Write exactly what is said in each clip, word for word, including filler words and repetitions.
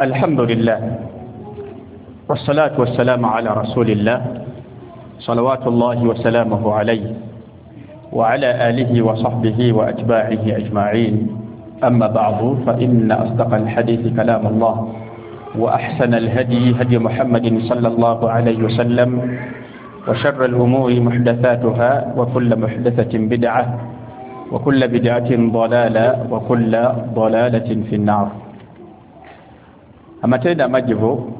الحمد لله والصلاة والسلام على رسول الله صلوات الله وسلامه عليه وعلى آله وصحبه وأتباعه أجمعين. أما بعد، فإن أصدق الحديث كلام الله، وأحسن الهدي هدي محمد صلى الله عليه وسلم، وشر الأمور محدثاتها، وكل محدثة بدعة، وكل بدعة ضلالة، وكل ضلالة في النار. Amatendo amajjuvu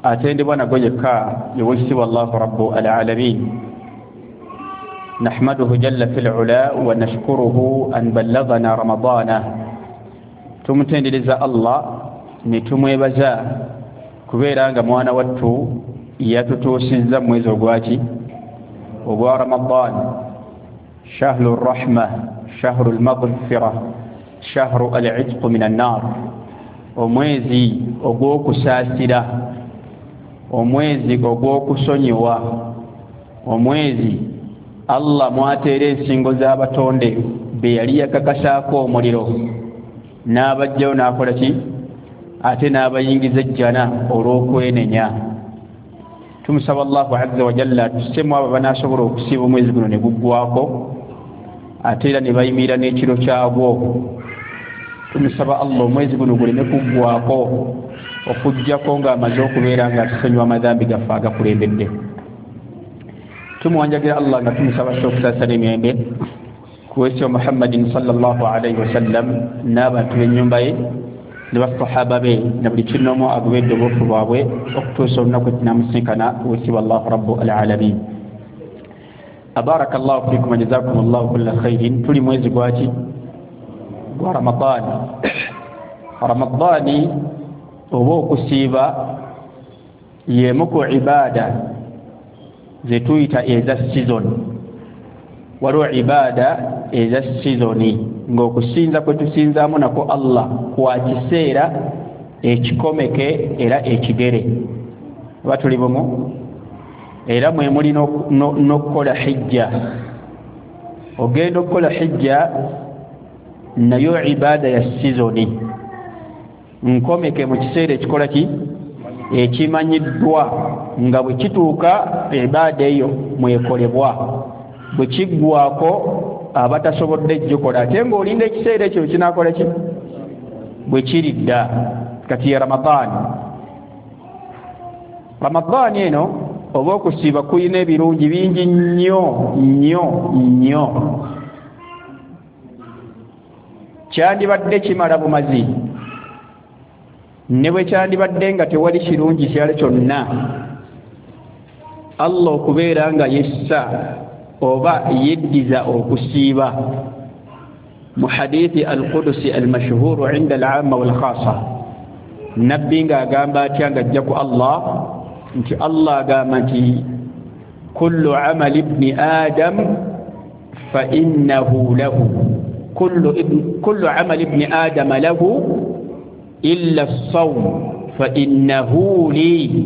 atendebwa nago yekka yewekitiibwa Allahu Rabbu al-Alamin. Nahmaduhu jalla fil ula wa nashkuruhu an ballaghana Ramadana. Tumutendereza Allah ne tumwebaza kubeera nga mwana wattu yatutuusizza mu mwezi ogwaki ogwa Ramadan, shahru rahma, shahru al-maghfira, shahru al-itq min an-nar, omwezi ogw'okusaasira, omwezi ogw'okusonyiwa, omwezi Allah mwateera ensingo z'abatonde be yali yakakasaako omuliro n'abajjayo n'akola ki ate n'abayingiza ejjana olw'okwenenya. Tumusaba Allahu azza wa jalla atussemu abo banaasobola okusiiba omwezi guno ne guggwako ate era ne bayimirira n'ekiro kyagwo. Tumusaba Allah omwezi guno guleme kuggwako okuggyako ng'amaze okubeera nga atusonyiwa amadhambi gaffe agakulembedde. Tumuwanjagira Allah nga tumusaba okusaasira n'emirembe ku wesi wa Muhammadin sallallahu alaihi wasallam n'abantu b'ennyumba ye ne basahaba be na buli kinoomu agobedde obufu bwabwe okutuusa olunaku etunamusinkana wesiba Allahu Rabbu al-Alamin. Abarakallahu fikum wa jazakum Allahu kulla khairin. Tuli mwezi gwaki gwa Ramadani. Ramadani oba okusiiba y'emu ku ibada zetuyita eza season. Waliwo ibada eza sizoni ng'okusinza kwe tusinzaamu nako Allah kwa kiseera ekikomeke era ekigere. Oba tuli bumu? Era mwe muli n'okukola hijja. Ogenda okukola hijja nayo ibada ya sizoni nkomeke mu kiseera ekikola ki ekimanyiddwa nga bwe kituuka ibada eyo mwekolebwa, bwe kiggwako abatasobodde gikola ate ng'olinda ekiseera ekyo kinaakola ki bwe kiridda. Kati ya Ramadaani. Ramadaani eno oba okusiiba kuyina ebirungi bingi nnyo nnyo nnyo. Kyandibadde kimala bumazi ne bwe kyandibadde nga tewali kirungi kirala kyonna, Allah okubeera nga yessa oba yeddiza okusiiba. Mu hadithi al-Qudusi al-mashhuru inda al-amma wal-khassa, nabbi ng'agamba atya ng'ajja ku Allah nti Allah agamba nti kullu amali ibni adam fa innahu lahu, kullu ibn kullu amali ibni adam lahu illa as-sawm fa innahu li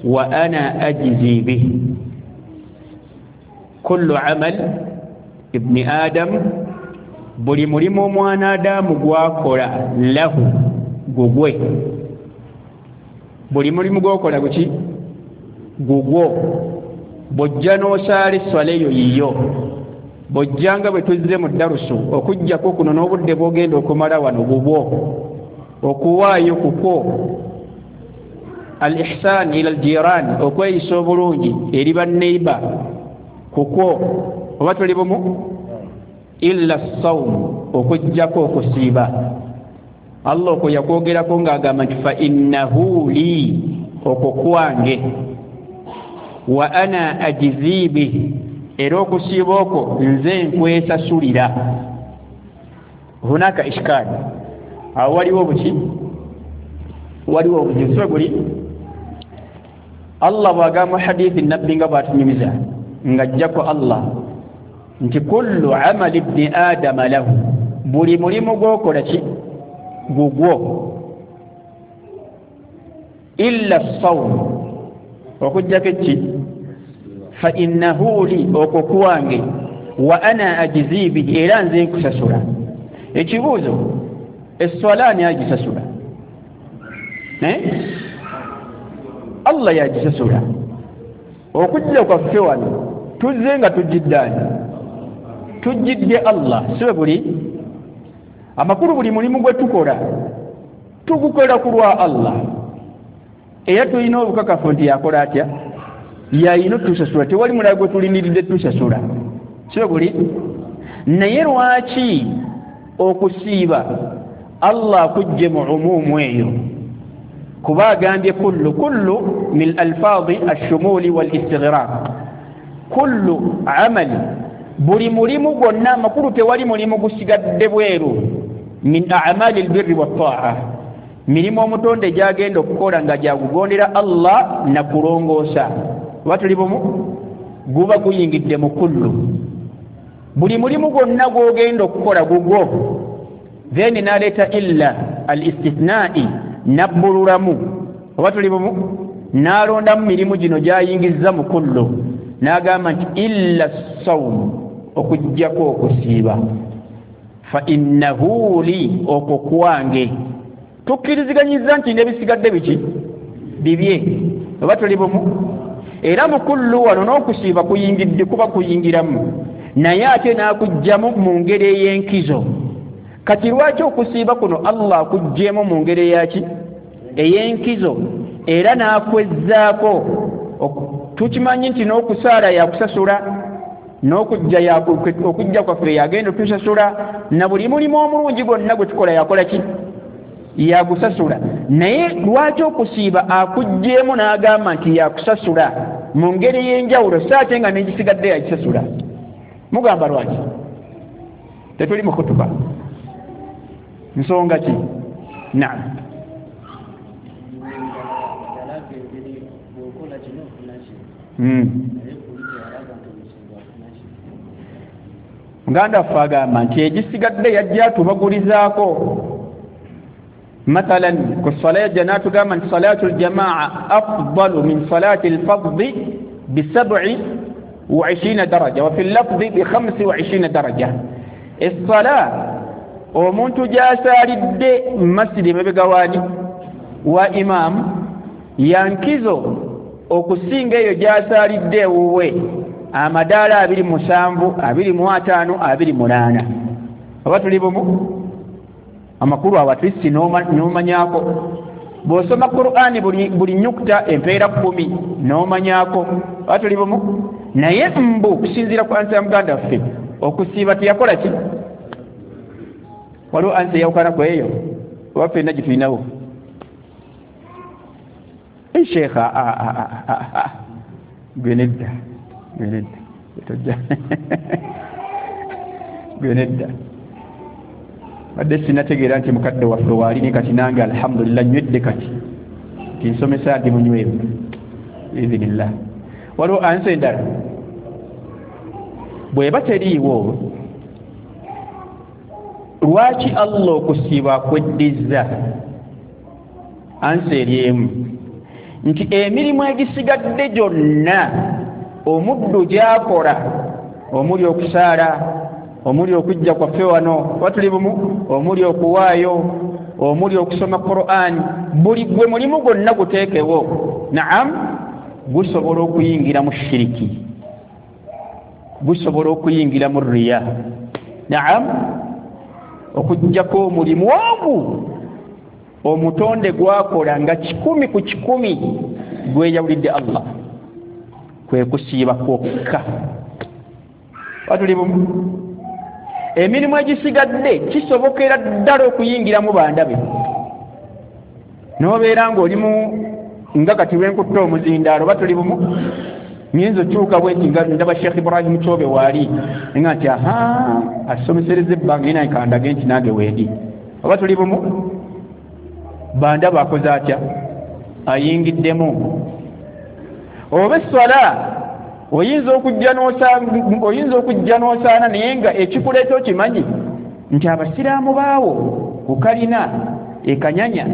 wa ana ajzi bihi. Kullu amal ibni adam, buli mulimu omwana Adamu gwakola, lahu gugwe. Buli mulimu gwokola guki gugwo. Bw'ojja n'osaala esswala eyo yiyo, bw'ojja nga bwe tuzze mu ddarusu okuggyako kuno n'obudde bw'ogenda okumala wano bubwo, okuwaayo kukwo, al-ihsan ila al-jiran, okweyisa obulungi eri banneiba kukwo. Oba tuli bumu? Illa as-sawm, okuggyako okusiiba. Allah okwo yakwogerako ng'agamba nti fa innahu li, okwo kwange, wa ana ajzi bihi, era okusiiba okwo nze nkwesasulira. Hunaka ishkali, awo waliwo buki waliwo obuzibu guli. Allah bw'agamba hadithi nabbi nga bw'atunyumiza ng'ajjako Allah nti kullu amali ibni adama lahu, buli mulimu gw'okola ki gugwo, illa as-sawm, okuggyako ki fa innahu li, okwo kwange, wa ana ajzi bihi, era nze nkusasula. Ekibuuzo, esswala ani agisasula? Eh? Allah yagisasula. Okujja kwaffe wano tuzze nga tujjidde tujjidde Allah, sibe buli amakulu buli mulimu gwe tukola tugukola ku lwa Allah, era tulina obukakafu nti yakola atya, yayina otusasula, tewali mulala gwe tulindiridde tusasula, sibe buli. Naye lwaki okusiiba Allah akujje mu umumu eyo? Kuba agambye kullu, kullu min alfaadi ashumuli wal istighraq, kullu amali, buli mulimu gwonna, amakulu tewali mulimu gusigadde bweru, min a'mali albirri wattaa, mirimu omutonde gyagenda okukola nga gyagugondera Allah na kulongoosa, oba tuli bumu, guba guyingidde mu kullu. Buli mulimu gwonna gw'ogenda okukola gugwo. Then n'aleeta illa al istithnai, nabbululamu, oba tuli bumu, n'alondamu mirimu gino gy'ayingizza mu kullu, n'agamba nti illa sawm, okuggyako okusiiba, fa innahu li, okwo kwange. Tukkiriziganyiza nti n'ebisigadde biki bibye, oba tuli bumu. Era mu kullu wano n'okusiiba kuyingidde, kuba kuyingiramu, naye ate n'akuggyamu mu ngeri ey'enkizo. Kati lwaki okusiiba kuno Allah akuggyemu mu ngeri eyaki ey'enkizo, era n'akwezzaako? Tukimanyi nti n'okusaala yakusasula, n'okujja okujja kwaffe yagenda otusasula, na buli mulimu omulungi gwonna gwe tukola yakola ki, yagusasula. Naye lwaki okusiiba akuggyemu n'agamba nti yakusasula mu ngeri ey'enjawulo, so ate nga n'egisigadde yagisasula? Mugamba lwaki? Tetuli mu kutuba, nsonga ki? Naam. Muganda waffe agamba nti egisigadde yajja tubagulizaako. Mathalan ku swala yajja n'atugamba nti salatu ljamaa afdalu min salati lfaddi bisabi wa ishirina daraja, wa fi lafdi bi khamsi wa ishirina daraja. Essala omuntu gy'asaalidde masjidi emabega waani wa imaamu yankizo okusinga eyo gy'asaalidde ewuwe amadaala abiri musanvu, abiri mu ataano, abiri munaana. Oba tuli bumu? Amakulu awo atlist n'omanyaako. Bw'osoma Qur'ani buli, buli nyukuta empeera kkumi n'omanyaako. Oba tuli bumu? Naye mbu okusinziira ku ansa ya muganda waffe, okusiiba teyakola ki? Waliwo ansa eyawukana ku eyo? Oba ffenna gye tulinawo? Sheekha, gwe nedda, gwe nedda, tojja, gwe nedda. Badde sinategeera nti mukadde waffe waali, ne kati nange alhamdulillah nywedde kati nti nsomesa ndi munywevu biizinillah. Waliwo ansa endala bw'eba teriiwo, lwaki Allah okusiiba akweddizza? Ansa eri emu nti emirimu egisigadde gyonna omuddu gy'akola, omuli okusaala, omuli okujja kwaffe wano, oba tuli bumu, omuli okuwaayo, omuli okusoma Qur'an, buli gwe mulimu gwonna guteekewo, naam, gusobola okuyingira mu shiriki, gusobola okuyingira mu riya, naam, okuggyako omulimu ogwo omutonde gwakola nga kikumi ku kikumi gweyawulidde Allah, kwe kusiiba kwokka. Batuli bumu? Emirimu egisigadde kisobokera ddala okuyingiramu bandabe, n'obeera ng'olimu nga kati lwenkutta omuzindaalo, oba tuli bumu, nyinza okyuka bwenti nga ndaba Sheikh Ibrahim Kyobe waali, nga nti aha asomesereza ebbanga ina nkandage nti nange wendi, oba tuli bumu. Bandaba akoze atya? Ayingiddemu. Oba esswala oyinza okujja n'osaana, oyinza okujja n'osaana naye nga ekikuleeta okimanyi nti abasiraamu baawo ku kalina ekanyanya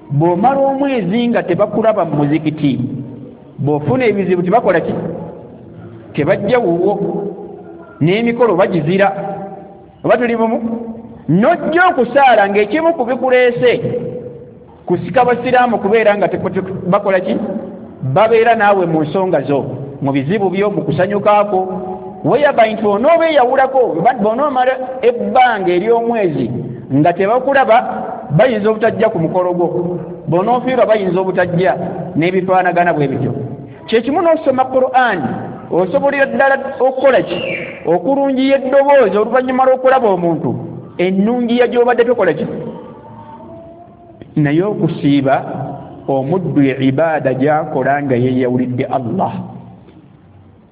bw'omala omwezi nga tebakulaba mu muzikiti, bw'ofuna ebizibu tebakola ki? Tebajja wuwo, n'emikolo bagizira, oba tuli bumu. N'ojja okusaala ng'ekimu ku bikuleese Kusika basiraamu kubeera nga bakola ki? Babeera naawe mu nsonga zo, mu bizibu byo, mu kusanyukaako. Weyaba nti onoobeeyawulako, bw'onoomala ebbanga ery'omwezi nga tebakulaba, bayinza obutajja ku mukolo gwo, bw'onoofiirwa bayinza obutajja, n'ebifaanagana bwe bityo. Kyekimu n'osoma Qur'an, osobolera ddala okukola ki? Okulungiya eddoboozi oluvannyuma lw'okulaba omuntu, ennungiya gy'obadde tokola ki? Naye okusiiba omuddu ibaada gy'akola nga yeeyawulidde Allah.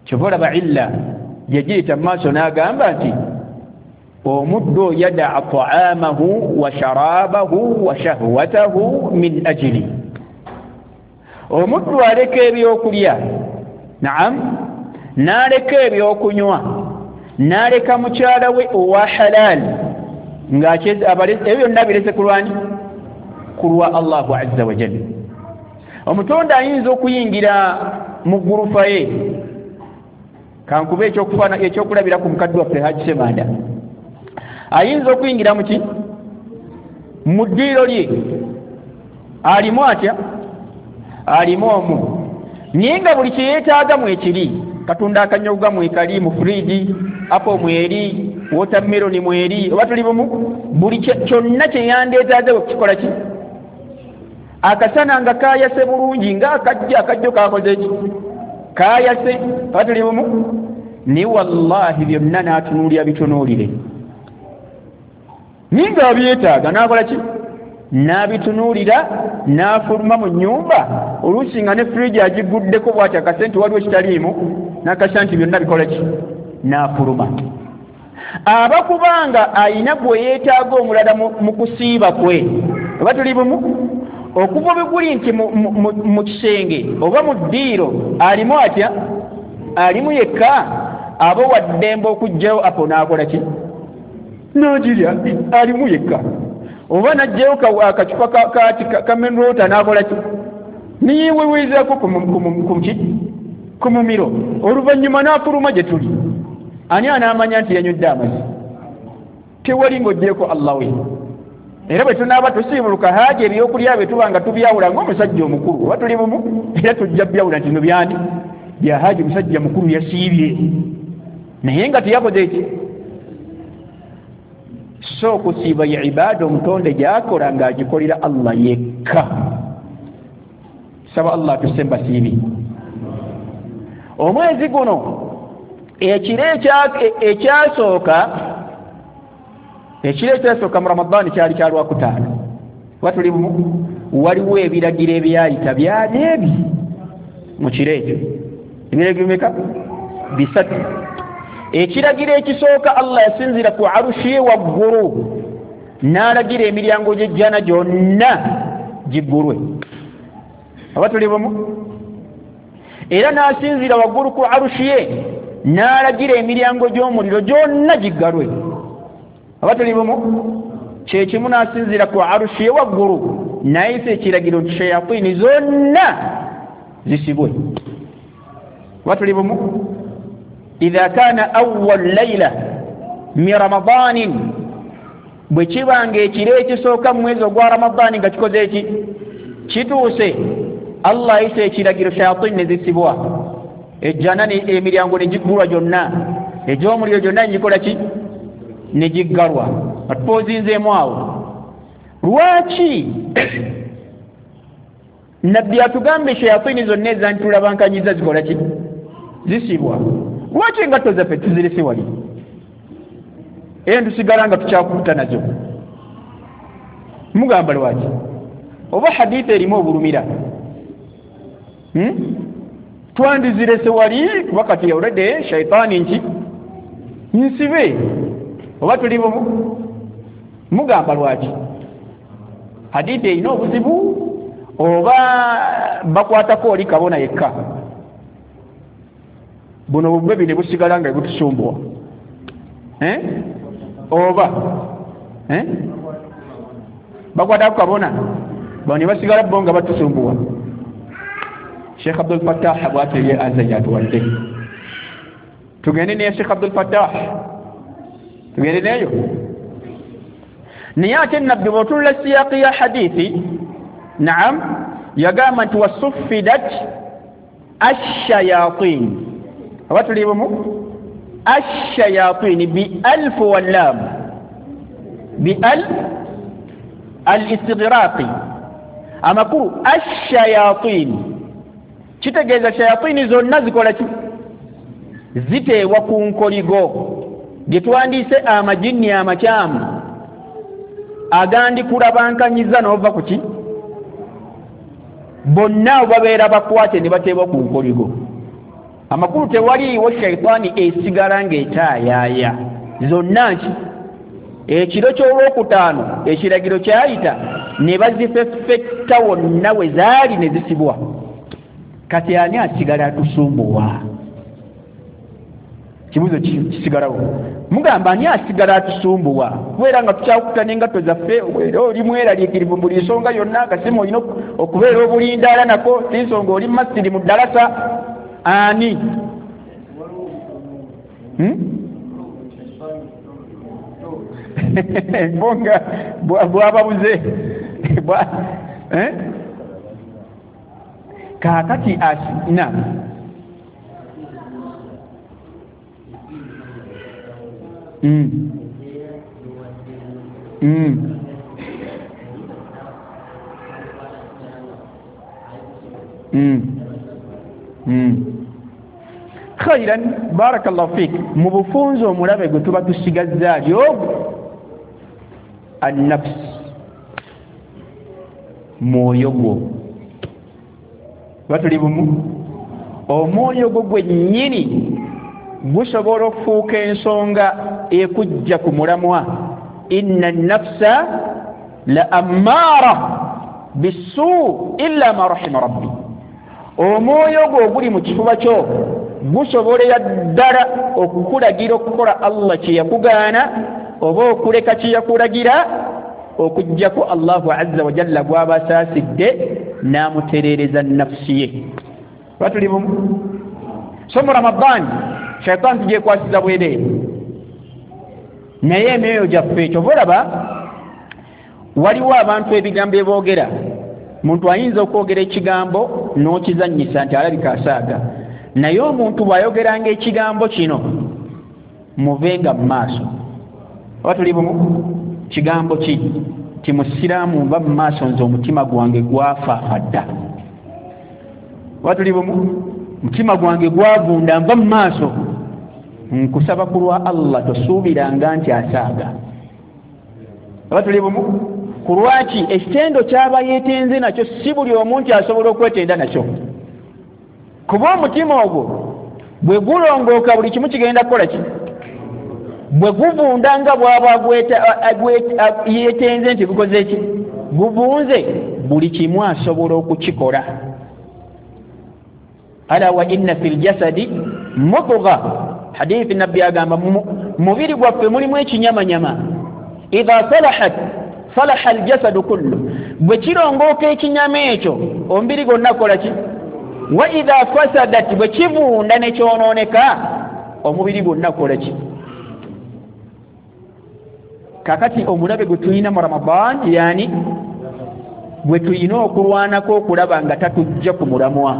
Kyova olaba illa yagiyita mu maaso n'agamba nti omuddu yadaa ta'amahu wa sharabahu wa shahwatahu min ajli. Omuddu aleka ebyokulya, naam, n'aleka ebyokunywa, n'aleka mukyala we owa halal, ng'ebyo byonna birese ku lwani? Ku lwa Allahu azza wa jalla. Omutonde ayinza okuyingira mu ggurufa ye. Kankube ekyokufaana ekyokulabira ku mukadde waffe Haji Ssemanda, ayinza okuyingira mu ki? Mu ddiiro lye. Alimu atya? Alimu omu, naye nga buli kye yeetaaga mwekiri. Katonda akanyoga mwekali mu fridge, apo mweri, watermelon mweri, oba tuli bumu, buli kyonna kye yandeetaaze okukikola ki? Akasana nga kayase bulungi, nga akajja akajjo kakoze ki? Kayase, oba tuli bumu. Ni wallahi byonna n'atunuulira bitunuulire, ninga abyetaaga n'akola ki? N'abitunuulira, n'afuluma mu nnyumba, oluusi nga ne fridge agiguddeko bw'ati akasente waliwo kitaliimu, n'akasa nti byonna bikola ki? N'afuluma. Aba kubanga ayina gwe yeetaaga omulala mu kusiiba kwe, oba tuli bumu, okuva bwe guli nti mu kisenge oba mu ddiiro alimu atya? Alimu yekka, aba wa ddembe okuggyayo apo n'akola ki? N'agirya, alimu yekka. Oba n'aggyayo akacupa ka mineral n'akola ki? Niyeweweezaako ku ku mumiro, oluvannyuma n'afuluma gye tuli. Ani anaamanya nti yanywedde amazzi? Tewali ng'oggyeko Allah we. Era bwe tunaaba tusiibuluka haaji ebyokulya bye tuba nga tubyawula ng'omusajja omukulu, oba tuli bumu, era tujja byawula nti bino byani? Bya haaji, musajja mukulu yasiibye, naye nga teyakoze eki? So okusiiba ye ibaada omutonde gy'akola ng'agikolera Allah yekka. Saba Allah atusse mbasiibi. Omwezi guno ekiro ekyasooka, ekiro ekyasooka mu Ramadaani kyali kya Lwakutaano, oba tuli bumu, waliwo ebiragiro ebyayita byali ebi mu kiro ekyo. Ebiragiro bimeka? Bisatu. Ekiragiro ekisooka, Allah yasinziira ku arushi ye waggulu n'alagira emiryango gy'ejjana gyonna giggulwe, oba tuli bumu. Era n'asinziira waggulu ku arushi ye n'alagira emiryango gy'omuliro gyonna giggalwe, oba tuli bumu. Kyekimu n'asinziira ku arushi ye waggulu n'ayisa ekiragiro nti shayatini zonna zisibwe, oba tuli bumu. Idha kana awwal layla min Ramadanin, bwe kibanga ekiro ekisooka mu mwezi ogwa Ramadaani nga kikoze eki? Kituuse, Allah ayisa ekiragiro shayatini ne zisibwa, ejjana emiryango ne giggulwa gyonna, egy'omuliro gyonna ne gikola ki? Ne giggalwa. Atupoozinzeemu awo. Lwaki Nabbi atugambye shayatini zonna ezantulabankanyiza zikola ki? Zisibwa. Lwaki engatto zaffe tuzirese wali? Era tusigala nga tukyakukuta nazo. Mugamba lwaki? Oba hadithi erimu obulumira, hmm? Twandizirese wali kuba kati already shaitaani nki nsibe, oba tuli bumu. Mugamba lwaki? Hadithi erina obuzibu oba bakwatako oli kabona yekka? Buno bubwe ne busigala nga butusumbuwa, eh? Oba eh? Bakwatako kabona bano ne basigala bo nga batusumbuwa. Sheikh Abdul Fattah bw'atyo ye aza yatuwadde. Tugende ne Sheikh Abdul Fattah, tugende neyo. Naye ate Nabbi bw'otunula siyaaqi ya hadithi Naam, yagamba nti wasuffidat ashayatin. Oba tuli bumu? Ashayatin bi alf wallam, bi al al-istighraqi. Amakulu ashayatin kitegeeza shayatini zonna zikola ki? Ziteebwa ku nkoligo gye twandiise amajinni amakyamu agandikulabankanyiza n'ova ku ki? Bonna babeera bakwate ne bateebwa ku nkoligo. Amakulu tewaliiwo shaitaani esigala ng'etaayaaya zonna nki ekiro ky'olwokutaano ekiragiro kyayita ne bazifeffetta wonna we zaali ne zisibwa. Kati ani asigala atusumbuwa? Kibuuzo kisigalawo. Mugamba ani asigala atusumbuwa? Kubeera nga tukyakuta n'engatto zaffe, era oli mweraliikirivu buli nsonga yonna, akasimu olina okubeera obulindaala nako, si nsonga oli masiri mu ddalasa. Ani? Hmm? Bonga bwababuze. Eh? Kaakati na Mm. Mm. Mm. Mm. Khairan, barakallahu fik. Mu bufunze omulabe gwe tuba tusigazza ali ogwo an-nafs, mwoyo gwo. Batuli bumu? Omwoyo gwo gwennyini gusobola okufuuka ensonga ekujja ku mulamwa. Inna an-nafsa la ammaara bisu illa ma rahima rabbi. Omwoyo gwo oguli mu kifuba kyo gusobolera ddala okukulagira okukola Allah kye yakugaana oba okuleka kye yakulagira, okuggyako Allahu azza wa jalla gw'aba asaasidde n'amutereereza nafsi ye. Batuli bumu? So mu Ramadhan shaitaani tugyekwasiza bwereere, naye emyoyo gyaffe kyova olaba waliwo abantu ebigambo eboogera. Muntu ayinza okwogera ekigambo n'okizannyisa nti alabika asaaga, naye omuntu bw'ayogeranga ekigambo kino muvenga mu maaso. Oba tuli bumu? Kigambo ki? Ti musiraamu nva mu maaso nze omutima gwange gwafaafa dda. Oba tuli bumu? Mutima gwange gwavunda, nva mu maaso. Nkusaba ku lwa Allah tosuubiranga nti asaaga. Oba tuli bumu? Ku lwaki ekitendo ky'aba yeetenze nakyo si buli omu nti asobola okwetenda nakyo, kuba omutima ogwo bwe gulongooka buli kimu kigenda kukola ki? Bwe guvunda nga bw'aba yeetenze nti gukoze ki? Guvunze, buli kimu asobola okukikola. Ala wa inna fil jasadi mudgha. Hadithi nabbi agamba mubiri gwaffe mulimu ekinyamanyama. Idha salahat salaha aljasadu kullu, bwe kirongooka ekinyama ekyo omubiri gwonna kola ki? Wa idha fasadat, bwe kivunda ne kyonooneka omubiri gwonna kola ki? Kakati omulabe gwe tulina mu Ramadan, yani gwe tulina okulwanako okulaba nga tatujja ku mulamwa.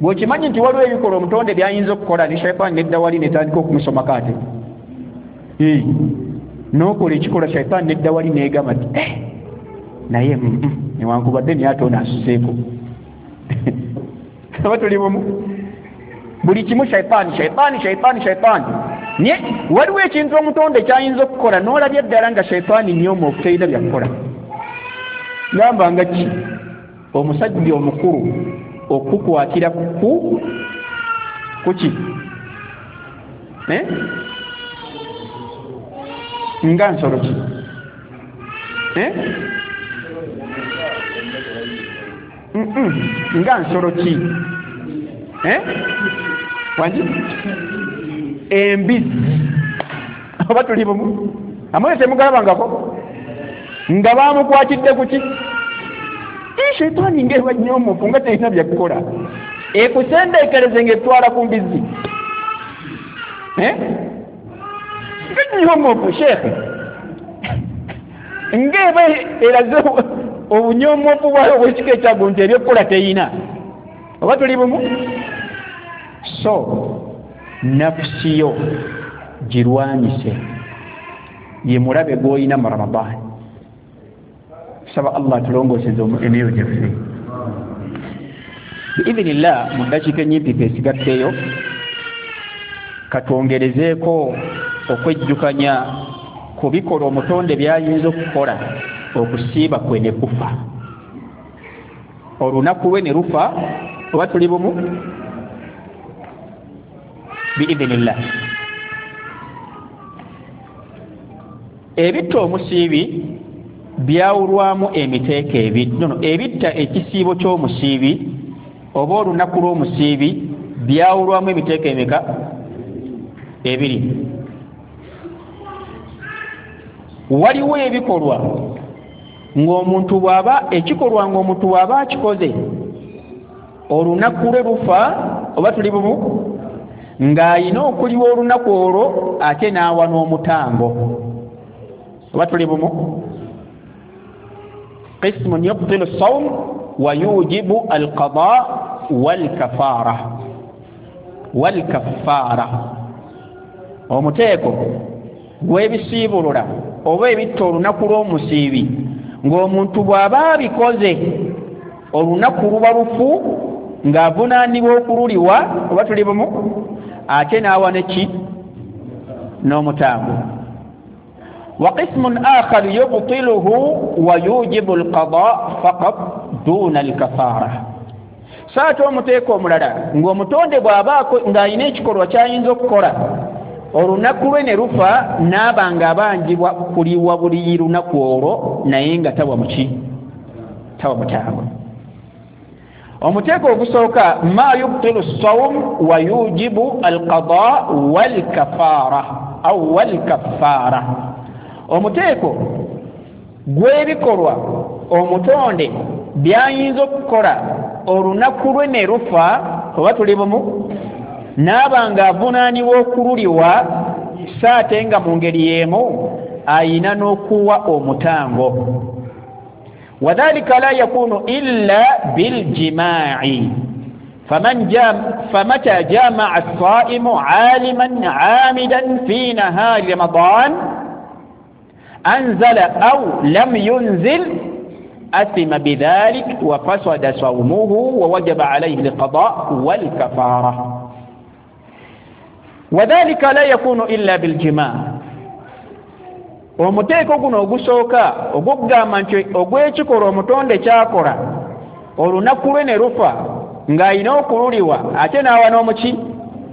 Bw'okimanyi nti waliwo ebikola omutonde by'ayinza okukola ne shaitaani nedda wali netandika okumusomako ate n'okola ekikola shaitaani nedda wali neegamba nti eh, naye newankubadde naye ate ono asuseeko. Oba tuli bumu? Buli kimu shaitaani shaitaani shaitaani shaitaani. Naye waliwo ekintu omutonde ky'ayinza okukola n'olabya ddala nga shaitaani nnyoomoofu terina byakukola. Gamba nga ki? Omusajja omukulu okukwatira ku kuki? Eh? Nga nsolo ki? Eh? Mm-mm. Nga nsolo ki? Eh? Wangi? Embizzi. Oba tuli bumu? Amwe temugalabangako? Nga bamukwatidde ku ki? Shaitaani ng'eba nnyoomoofu nga terina byakukola, ekusendeekereze ng'etwala ku mbizzi. Eh? Nga nnyoomoofu sheekhe, ng'eba eraze Obunyomwofu bwayo obwekika ekyaggulu nti ebyokukola teyina. Oba tuli bumu? So nafusi yo girwanyise, ye mulabe gw'olina mu Ramadaani. Saba Allah atulongooseze emyoyo gyaffe biidhinillah. Mu ddakiika ennyimpi esigaddeyo katwongerezeeko okwejjukanya ku bikola omutonde byayinza okukola okusiiba kwe ne kufa, olunaku lwe ne lufa. Oba tuli bumu? Biidhinillah. Ebitta omusiibi byawulwamu emiteeko ebiri. Nono ebitta ekisiibo ky'omusiibi oba olunaku lw'omusiibi byawulwamu emiteeko emeka? Ebiri. Waliwo ebikolwa ng'omuntu bw'aba ekikolwa ng'omuntu bw'aba akikoze olunaku lwe lufa. Oba tuli bumu? Ng'ayina okuliwa olunaku olwo ate n'awa n'omutango. Oba tuli bumu? Qismun yubtilu sawm wa yujibu alqada walkafara walkaffara. Omuteeko gw'ebisiibulula oba ebitta olunaku lw'omusiibi ng'omuntu bw'aba abikoze olunaku luba lufu ng'avunaanibwa okululiwa. Oba tuli bumu? Ate n'awa neki? N'omutango. Wa qismun akhar yubtiluhu wa yujibu alqada faqat duna alkafara. So ate omuteeko omulala ng'omutonde bw'aba ng'alina ekikolwa ky'ayinza okukola olunaku lwe ne lufa, n'aba nga abanjibwa kuliwa buli lunaku olwo naye nga tawa muki? Tawa mutango. Omuteeko ogusooka ma yubtilu sawm wa yujibu alqada walkafara au walkaffara. Omuteeko gw'ebikolwa omutonde byayinza okukola olunaku lwe ne lufa. Oba tuli bumu? N'aba nga avunaanibwa okululiwa, so ate nga mu ngeri y'emu ayina n'okuwa omutango. Wadhalika la yakunu illa biljimaa'i faman jam famata jamaa as-saimu aliman amidan fi nahari Ramadan anzala au lam yunzil athima bidhalik wa fasada sawmuhu wa wajaba alayhi alqada walkafara. Wadhalika la yakunu illa biljimaa. Omuteeko guno ogusooka ogugamba nti ogw'ekikolwa omutonde kyakola olunaku lwe ne lufa ng'alina okululiwa ate n'awa n'omuki?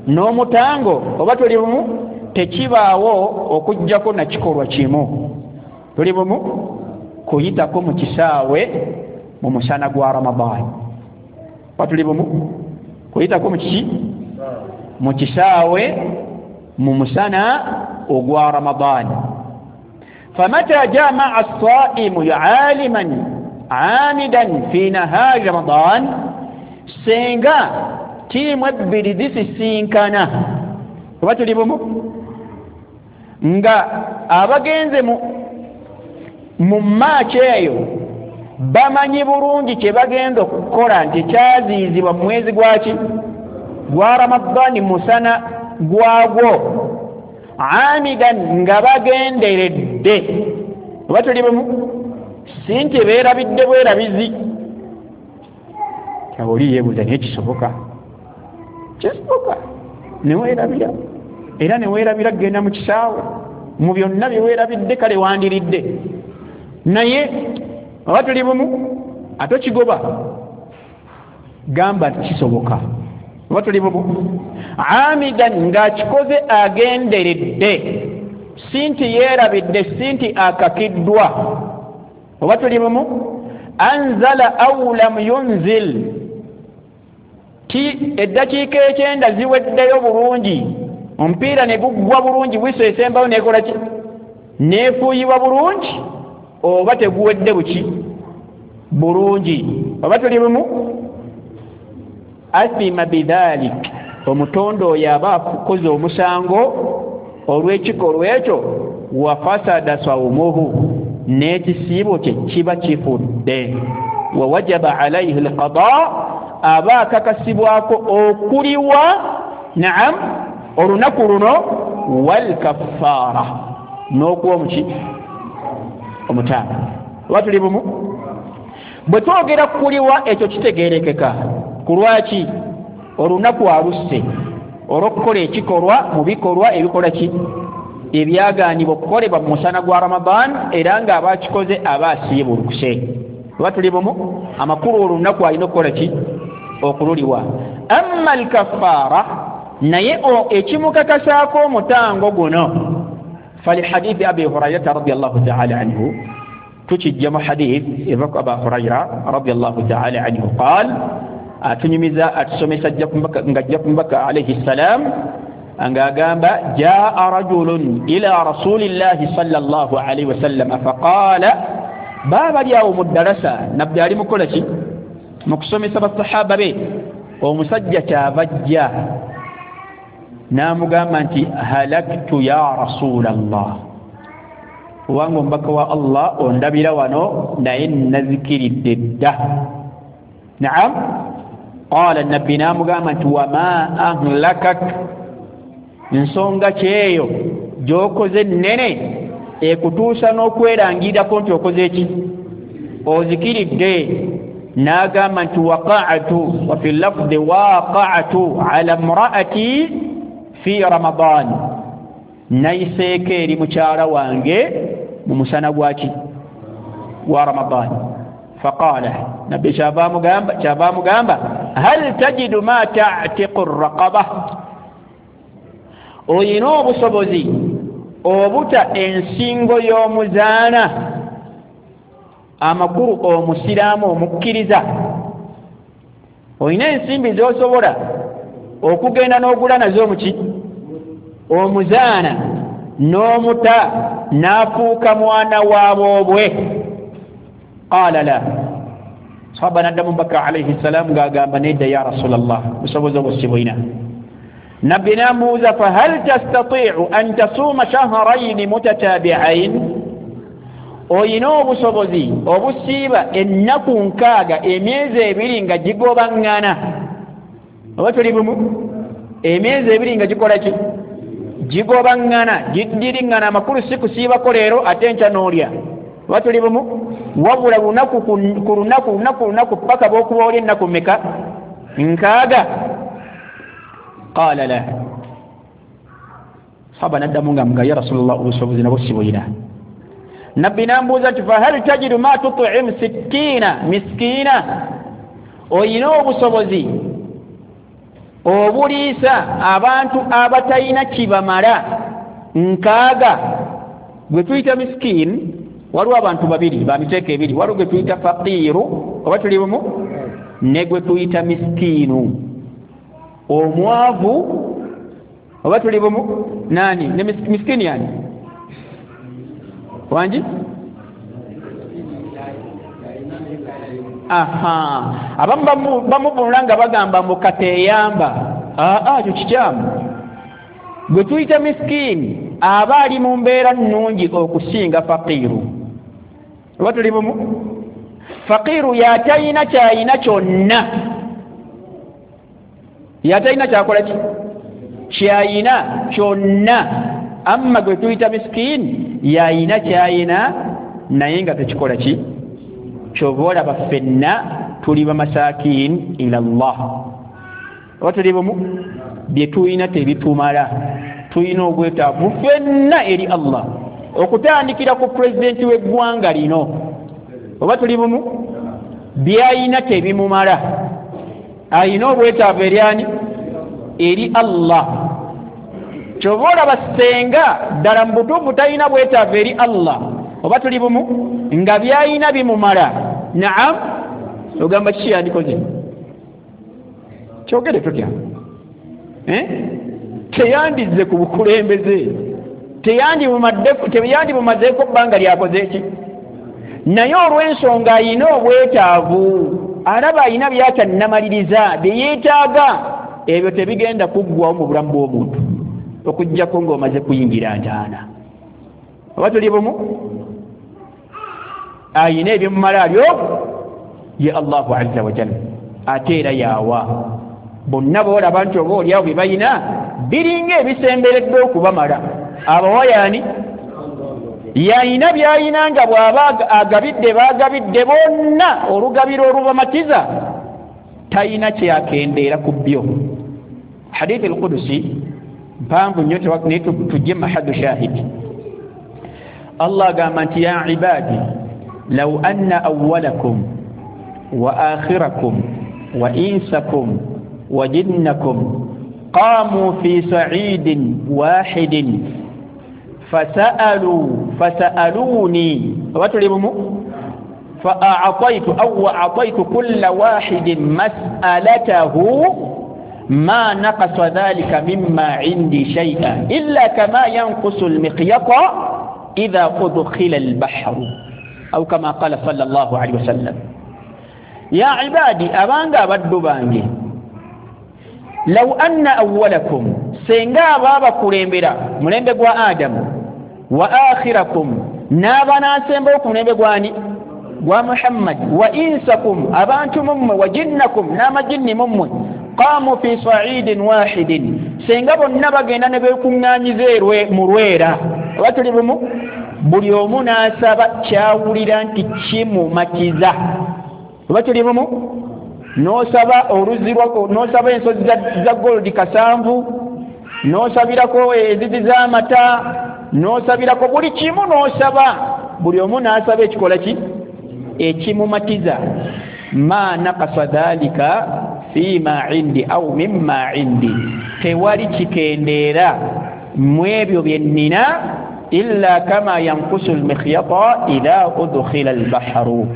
N'omutango. Oba tuli bumu? Tekibaawo okuggyako na kikolwa kimu. Tuli bumu? Kuyitako mu kisaawe mu musana gwa Ramadaani. Oba tuli bumu? Kuyitako mu kiki? Mu kisaawe mu musana ogwa Ramadaani. Famata jamaa as-saimu aliman amidan fi nahari Ramadan, singa tiimu ebbiri zisisinkana. Oba tuli bumu? Nga abagenze mu mu maaki eyo bamanyi bulungi kye bagenda okukola nti kyaziizibwa mu mwezi gwaki? Gwa Ramadaani, musana gwagwo, amidan nga bagenderedde. Oba tuli bumu? Si nti beerabidde bwerabizi. Oli yeebuuza naye kisoboka? Kisoboka neweerabira, era neweerabira kugenda mu kisaawe mu byonna bye weerabidde kale wandiridde, naye oba tuli bumu? Ate okigoba gamba nti kisoboka. Oba tuli bumu? Amidan ng'akikoze agenderedde, si nti yeerabidde, si nti akakiddwa. Oba tuli bumu? Anzala au lam yunzil, ti eddakiika ekyenda ziweddeyo bulungi, omupiira ne guggwa bulungi, wiso esembayo neekola ki? Neefuuyibwa bulungi, oba teguwedde buki? Bulungi. Oba tuli bumu? Athima bidhalik, omutonde oyo aba akoze omusango olw'ekikolwa ekyo, wa fasada sawmuhu, N'ekisiibo kye kiba kifudde. Wa wajaba alaihi alqada, aba akakasibwako okuliwa naam olunaku luno, wal kaffara, n'okuwa omuki omutaano. Oba tuli bumu? Bwe twogera kuliwa ekyo kitegeerekeka. Ku lwaki olunaku alusse olw'okukola ekikolwa mu bikolwa ebikola ki ebyagaanibwa okukolebwa mu musana gwa Ramadan, era ng'aba akikoze aba asiibulukuse. Oba tuli bumu? Amakulu olunaku alina okukola ki? Okululiwa. Amma alkaffara, naye ekimukakasaako omutango guno, falihadithi Abi Hurairata radiallahu taala anhu, tukijja mu hadith eva ku Aba Huraira radiallahu taala anhu, qaal, atunyumiza atusomesa ng'ajja ku mubaka alaihi ssalam ng'agamba, jaa rajulun ila rasulillahi sallallahu alaihi wasallam faqaala. Baaba ali awo mu ddalasa, nabbi ali mukola ki? Mu kusomesa basahaba be. Omusajja kyava ajja n'amugamba nti halaktu ya rasulallah, kubanga omubaka wa Allah ondabira wano naye nazikiridde dda. Naam. Qala, nabbi n'amugamba nti wama ahlakak, nsonga kyeyo gy'okoze nnene ekutuusa n'okwerangirirako nti okoze ki? Ozikiridde. N'agamba nti waqa'tu, wa fi lafdi waqa'tu ala mra'ati fi Ramadan, nayiseeko eri mukyala wange mu musana gwaki? Gwa Ramadan. Faqala, nabbi kyava amugamba kyava amugamba hal tajidu ma ta'tiqu raqaba, oyina obusobozi obuta ensingo y'omuzaana, amakulu omusiraamu omukkiriza, oyina ensimbi z'osobola okugenda n'ogula nazo omuki omuzaana n'omuta n'afuuka mwana waboobwe. Qaala la. Sahaba n'addamu mubaka alaihi ssalaamu ng'agamba nedda ya Rasulallah, busobozi obwo si buyina. Nabbi n'amubuuza fahal tastatiu an tasuuma shahraini mutatabi'ain, oyina obusobozi obusiiba ennaku nkaaga emyezi ebiri nga gigobaŋŋana? Oba tuli bumu? Emyezi ebiri nga gikola ki? Gigobaŋŋana, giddiriŋŋana. Amakulu si kusiibako leero ate enkya n'olya. Oba tuli bumu? Wabula lunaku ku lunaku lunaku lunaku paka bw'okuba oli ennaku mmeka? Nkaaga. Qaala la. Sahaba n'addamu nga mga ya Rasulallah, obusobozi nabwo si buyina. Nabbi n'ambuuza nti fahal tajidu ma tut'imu sittiina miskiina, oyina obusobozi obuliisa abantu abatalina kibamala nkaaga? Gwe tuyita miskiin, waliwo abantu babiri ba miteeko ebiri, waliwo gwe tuyita faqiiru, oba tuli bumu, ne gwe tuyita miskiinu, omwavu, oba tuli bumu. Nani ne miskiini yani wangi? Aha, abamu bamuvunula nga bagamba mbu kateeyamba. Aa, ekyo kikyamu. Gwe tuyita miskiini aba ali mu mbeera nnungi okusinga faqiiru. Oba tuli bumu? Faqiiru yatalina kyayina kyonna, yatalina kyakola ki kyayina kyonna. Amma gwe tuyita miskiini yayina kyayina naye nga tekikola ki. Kyova olaba ffenna tuli bamasakin ila Allah. Oba tuli bumu? Bye tulina tebitumala, tulina obwetaavu ffenna eri Allah, okutandikira ku pulezidenti w'eggwanga lino. Oba tuli bumu? Byayina tebimumala, ayina obwetaavu eri ani? Eri Allah. Kyova olaba ssenga ddala mu butuufu talina bwetaavu eri Allah. Oba tuli bumu? Nga byayina bimumala. Naam, ogamba kiki yandikoze? Kyogere tutya? Eh? Teyandizze ku bukulembeze, teyandibumazeeko bbanga lyakoze ki, naye olw'ensonga ayina obwetaavu, alaba ayina by'atannamaliriza bye yeetaaga, ebyo tebigenda kuggwawo mu bulamu bw'omuntu okuggyako ng'omaze kuyingira ntaana. Oba tuli bumu? Ayina ebimumala ali omu ye Allahu azza wa jalla, ate era yawa bonna boolaba nti oba oliawo bye balina biringa ebisemberedde okubamala. Abawa yaani? Yayina byayina nga bw'aba agabidde baagabidde bonna olugabiro olubamatiza, tayina kyeyakendeera ku byo. Hadithi al-Qudusi mpanvu nnyo, naye tujje mahaddu shahidi. Allah agamba nti ya ibadi law anna awwalakum wa akhirakum wa insakum wa jinnakum qamu fi sa'idin wahidin fasa'alu fasa'aluni watulibumu fa'ataitu aw a'taitu kulla wahidin mas'alatahu ma naqasa dhalika mimma 'indi shay'an illa kama yanqusu al-miqyata idha udkhila al-bahru aw kama qala sallallahu alayhi wasallam. Ya ibadi, abanga abaddu bange, law anna awwalakum, senga ababa kulembera mulembe gwa Adamu, wa akhirakum, n'abanasemba ku mulembe gwani gwa Muhammad, wa insakum, abantu mummwe, wa jinnakum, n'amajinni mummwe, qamu fi sa'idin wahidin, senga bonna bagenda ne beekuŋŋaanyiza erwe mu lwera oba tuli bumu, buli omu n'asaba kyawulira nti kimumatiza. Oba tuli bumu, n'osaba oluzzi n'osaba ensozi za golodi kasanvu, n'osabirako enzizi z'amata, n'osabirako buli kimu, n'osaba buli omu n'asaba ekikola ki ekimumatiza. Ma naqasa dhalika fima indi au mimma indi, tewali kikendeera mu ebyo bye nnina illa kama yankusu al-mikhyata idha udkhila al-bahru,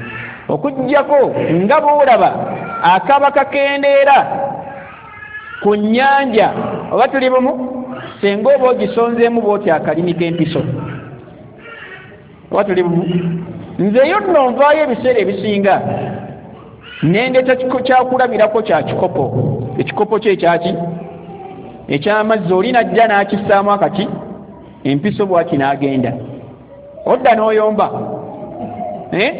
okuggyako nga bw'olaba akaba kakendeera ku nnyanja oba tuli bumu, senga oba ogisonzeemu bw'oti akalimi k'empiso oba tuli bumu. Nzeyo nno nvaayo ebiseera ebisinga nendeta kyakulabirako kya kikopo, ekikopo kye ekyaki ekyamazzi, oli najja n'akissaamu akati empiso bw'ati n'agenda, odda n'oyomba eh?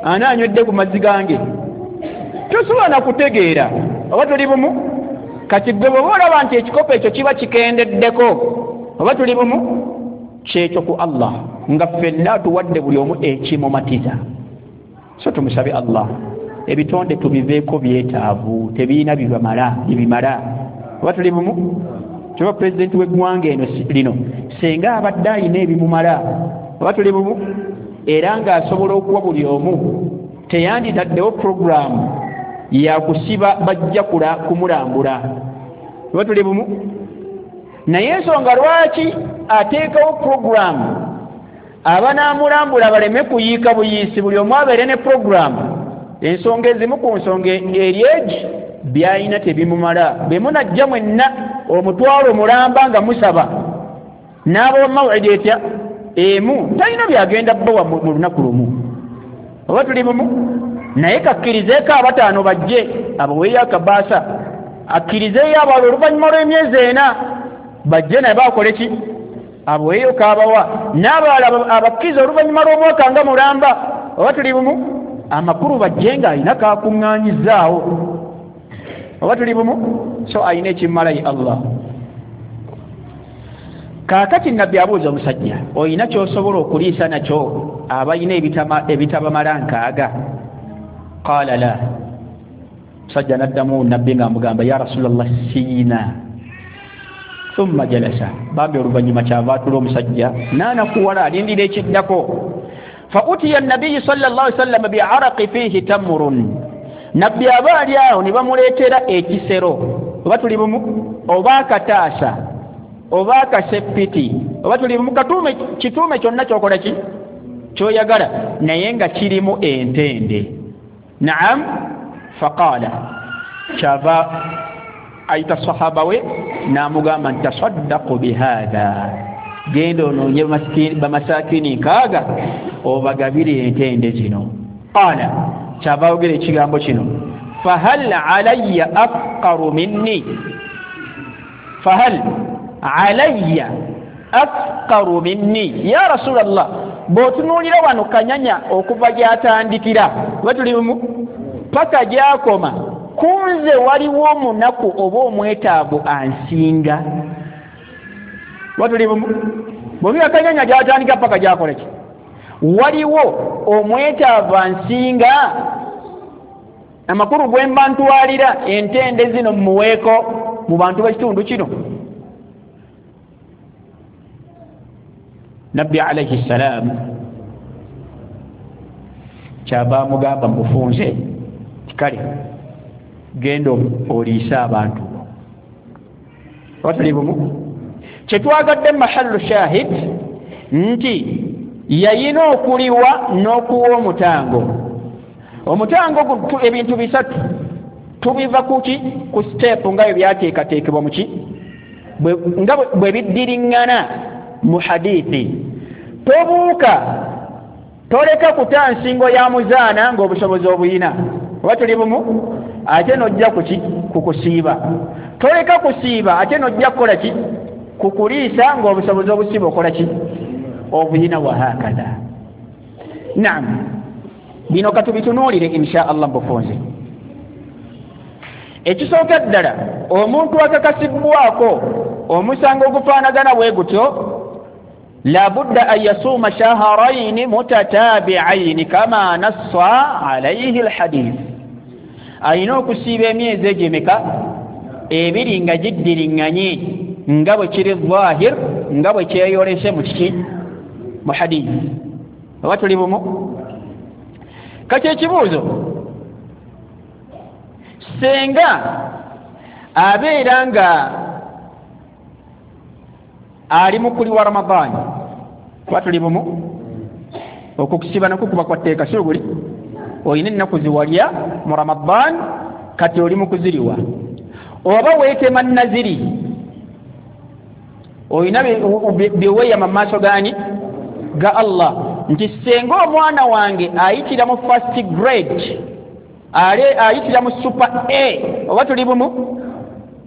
Ani anywedde ku mazzi gange? Tosobola na kutegeera oba tuli bumu. Kati gwe bw'oba olaba nti ekikopo ekyo kiba kikendeddeko oba tuli bumu, kyekyo ku Allah nga ffenna tuwadde buli omu ekimumatiza. So tumusabe Allah ebitonde tubiveeko byetaavu, tebirina bibamala bibimala oba tuli bumu. Kyova pulezidenti w'eggwanga eno lino senga abadde ayina ebimumala oba tuli bumu, era ng'asobola okuwa buli omu, teyanditaddewo puroguramu yakusiba bajja kumulambula oba tuli bumu. Naye ensonga lwaki ateekawo puroguramu abanaamulambula baleme kuyiika buyiisi, buli omu abeere ne puroguramu, ensonga ezimu ku nsonga eri egi byalina tebimumala. Bwe munajja mwenna omutwalo mulamba nga musaba n'abawa mawidi etya emu, talina byagenda bbawa mu lunaku lumu oba tuli bumu. Naye kakkirizeeko abataano bajje abaweeyo akabaasa, akkirizeeyo abalala oluvannyuma lw'emyezi ena bajje naye bakole ki, abaweeyo kaabawa, n'abalala abakkiriza oluvannyuma lw'omwaka nga mulamba oba tuli bumu. Amakulu bajje ng'alina kakuŋŋaanyizaawo oba tuli bumu. So alina ekimumala ye Allah. Kaakati Nabbi abuuza omusajja, olina ky'osobola okuliisa nakyo abalina ebitabamala nkaaga? Qaala la. Musajja n'addamu Nabbi ng'amugamba ya Rasulallah siina. Thumma jalasa, bambi oluvannyuma kyava atula omusajja n'anakuwala alindira ekiddako. Fa utiya nabbiyu sallallahu alaihi wasallam bi'araqi fihi tamrun, Nabbi aba ali awo ne bamuleetera ekisero oba tuli bumu, oba akataasa oba akasepiti oba tuli bumu, katuume kituume kyonna ky'okola ki ky'oyagala, naye nga kirimu entende. Naam. Faqala, kyava ayita sahaba we n'amugamba nti tasaddaqu bihadha, genda onoonye bamasakini nkaaga obagabire entende zino. Qala, kyava ayogera ekigambo kino, fahal alayya afqaru minni, fahal alayya afqaru minni ya Rasulallah, Bw'otunuulira wano Kanyanya okuva gy'atandikira oba tuli bumu paka gy'akoma, kunze waliwo omunaku oba omwetaavu ansinga. Oba tuli bumu, bw'otunuulira Kanyanya gy'atandika paka gy'akola ki, waliwo omwetaavu ansinga. Amakulu gwe mba ntwalira entende zino mmuweeko mu bantu b'ekitundu kino. Nabbi alayhi salam kyava amugamba mubufunze kale genda oliise abantu. Oba tuli bumu, kyetwagadde mahallu shahid nti yayina okuliwa n'okuwa omutango. Omutango ebintu bisatu tubiva kuki ku step nga bwe byateekateekebwa muki nga bwe biddiriŋŋana mu hadithi. Tobuuka, toleka kuta nsingo ya muzaana ng'obusobozi obuyina. Oba tuli bumu, ate n'ojja kuki kukusiiba. Toleka kusiiba ate n'ojja kukola ki kukuliisa ng'obusobozi obusiiba okola ki obuyina. Wahakadha. Naam, bino katubitunuulire insha Allah mubufunze. Ekisooka ddala, omuntu akakasibwako omusango ogufaanagana bwe gutyo, labudda an yasuuma shaharaini mutatabi'aini kama nassa alayhi alhadith. Alina okusiiba emyezi egyo emeka ebiri nga giddiriŋŋanye nga bwe kiri zahir, nga bwe kyeyolese mu kiki mu hadith. Oba tuli bumu? Kati ekibuuzo, senga abeera nga ali mukuli wa Ramadhani, kuba tuli bumu, okukusiba nakwo kuba kwa tteeka, si guli olina ennaku ziwalya mu Ramadhani kati oli mu kuziriwa, oba weetema naziri olina bye weeyama mu maaso gaani ga Allah nti senga omwana wange ayitira mu first grade, ale ayitira mu super A, oba tuli bumu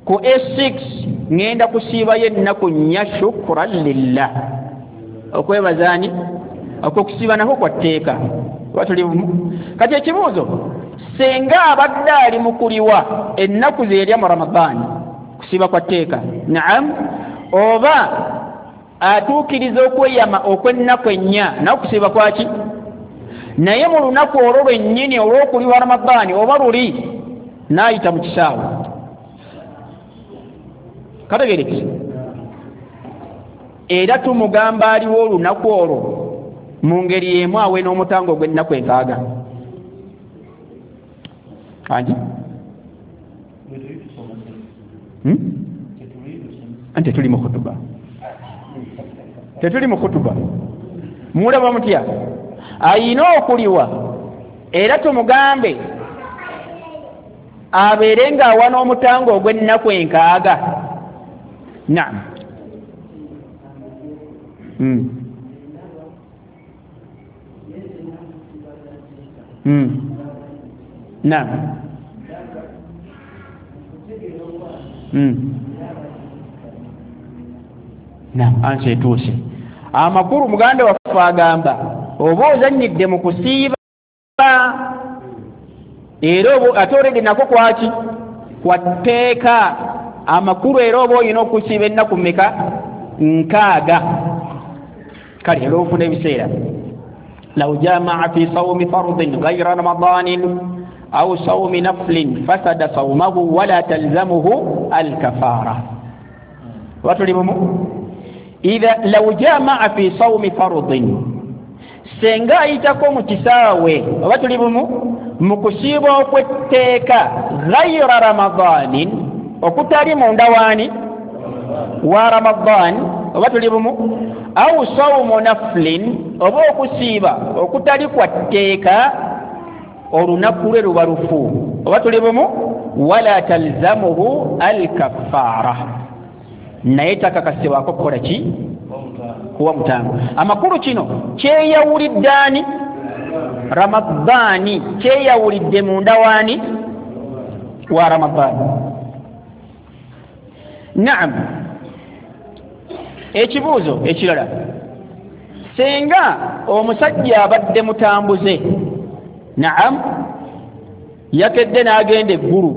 ku A six ngenda kusiibayo ennaku nnya shukran lillah, okwebazaani okwokusiiba nakwo kwa tteeka. Oba tuli bumu? Kati ekibuuzo, senga abadde ali mu kuliwa ennaku zeerya mu Ramadhani kusiiba kwa tteeka, naam, oba atuukiriza okweyama okw'ennaku ennya nawe kusiiba kwaki, naye mu lunaku olwo lwennyini olw'okuliwa Ramadhani oba luli n'ayita mu kisaawe. Kategerekese. Era tumugamba aliwo olunaku olwo mu ngeri emu awe n'omutango ogw'ennaku enkaaga. Angi? Hmm? Anti tetuli mu khutuba. Tetuli mu khutuba. Mulaba mutya? Ayina okuliwa era tumugambe abeere ng'awa n'omutango ogw'ennaku enkaaga. Naam. Mm. Mm. Naam. Mm. Naam, ansi etuuse. Amakulu muganda waffe agamba oba ozannyidde mu kusiiba era ate oledi nako kwaki kwa tteeka. Amakulu era oba olina okusiiba ennaku mmeka nkaaga. Kale era ofuna ebiseera. Law jamaa fi sawmi fardin ghayra ramadanin aw sawmi naflin fasada sawmahu wala talzamuhu alkafara. Watuli bumu? Idha law jamaa fi sawmi fardin, senga ayitako mu kisaawe oba tuli bumu mu kusiiba okw'etteeka ghayra ramadanin, okutali munda waani wa Ramadhan, oba tuli bumu, au sawmu naflin, oba okusiiba okutali kwa tteeka olunaku lwe luba lufu, oba tuli bumu, wala talzamuhu alkafara, naye takakasibwako kukola ki kuwa mutango. Amakulu kino kyeyawulidde ani? Ramadhani. Kyeyawulidde munda waani wa Ramadhani. Naam. Ekibuuzo ekirala, Singa omusajja abadde mutambuze, naam, yakedde n'agenda eggulu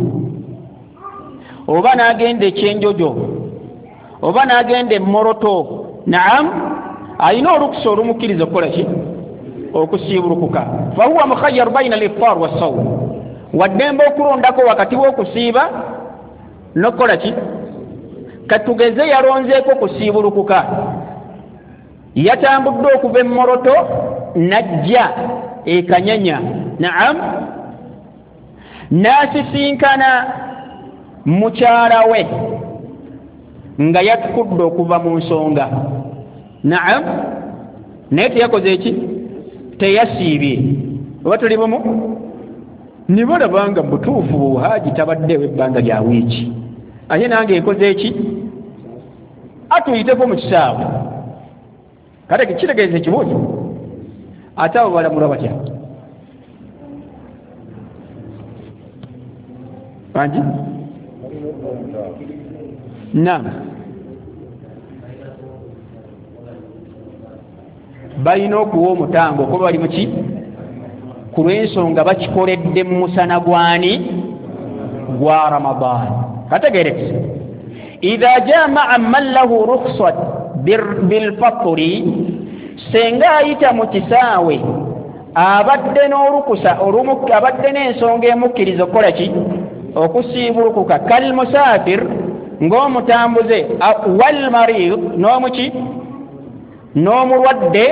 oba n'agenda ekyenjojo oba n'agenda emmoroto, naam, alina olukusa olumukkiriza okukola ki? Okusiibulukuka. Fahuwa mukhayyaru bayina al-iftar was-sawm, waddembe okulondako wakati w'okusiiba n'okukola ki? Katugeze yalonzeeko kusiibulukuka, yatambudde okuva emmoroto n'ajja ekanyanya, naam, n'asisinkana mukyala we nga yatukudde okuva mu nsonga, naam, naye teyakoze eki? Teyasiibye. Oba tuli bumu? Nibalaba nga mubutuufu Haji tabaddewo ebbanga lya wiiki, ate nange nkoze eki? Atuyiteko mu kisaawe. Kale kitegeeza ekibuuzo, ate abo balamulwa batya? Bangi? Naam, balina okuwa omutango kuba bali muki? Ku lw'ensonga bakikoledde mu musana gwani? Gwa Ramadan. Kategeerekese. Idha jamaa man lahu rukhsat bilfatri, senga ayita mu kisaawe abadde n'olukusa abadde n'ensonga emukkiriza okukola ki? Okusiibulukuka. Kal musafir, ng'omutambuze, wal marid, n'omuki? N'omulwadde,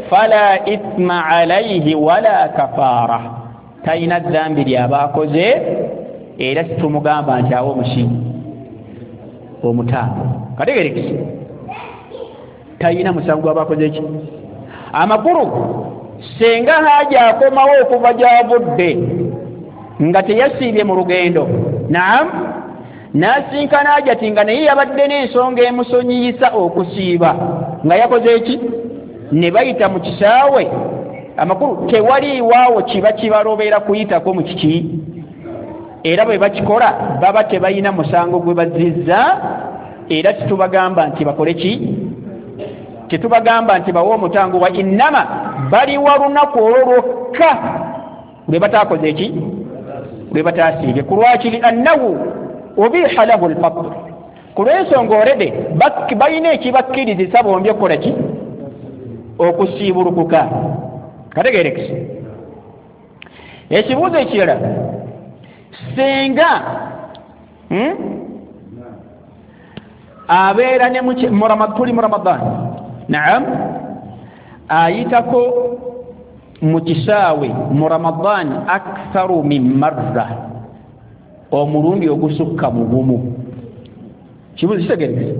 fala ithma alayhi wala kafaara, talina dhambi ly'aba akoze, era situmugamba nti awo omuki? Omutango. Kategeerekese. Talina musango gw'aba akoze ki? Amakulu, senga Haji akomawo okuva gy'avudde nga teyasiibye mu lugendo, naam, n'asinkana Hajati nga naye yabadde n'ensonga emusonyiyisa okusiiba nga yakoze eki? Ne bayita mu kisaawe. Amakulu, tewaliiwaawo kiba kibalobera kuyitako mu kiki, era bwe bakikola baba tebalina musango gwe bazizza, era tetubagamba nti bakole ki? Tetubagamba nti bawe omutango, wa innama baliwa lunaku olwo lwokka lwe bataakoze eki? Lwe bataasiibye. Ku lwaki? Li annahu ubiha lahu al-fatr, ku lw'ensonga orede balina ekibakkirizisa bombi okukola ki? Okusiibulukuka. Kategeerekese. Ekibuuzo ekirala, singa hmm? abeera ne tuli mu Ramadan, naam, ayitako mu kisaawe mu Ramadan aktharu min marra, omulundi ogusukka mu gumu. Kibuuzo kitegeerekese.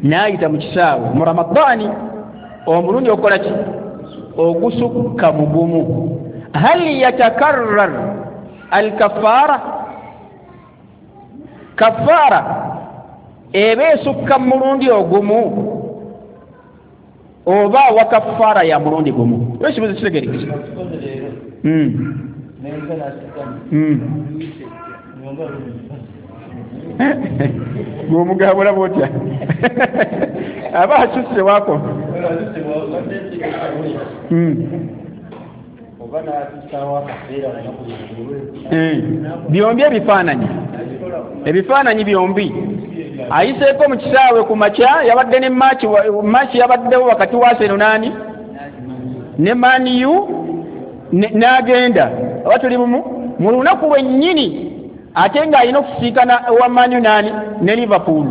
N'ayita mu kisaawe mu Ramadani omulundi ogukola ki? Ogusukka mu gumu. Hal yatakarrar alkafaara, kafaara eba esukka mu mulundi ogumu oba wa kafaara ya mulundi gumu? Ekibuuzo kitegeerekese. Gw'omugabula bw'otya? Aba asusse wako. Byombi ebifaananyi, ebifaananyi byombi. Ayiseeko mu kisaawe ku makya, yabadde ne maaki, maaki yabaddewo wakati wa Arsenal nani ne Man U, n'agenda. Oba tuli bumu? Mu lunaku lwennyini ate ng'alina okusiikana owa Man U nani ne Liverpool,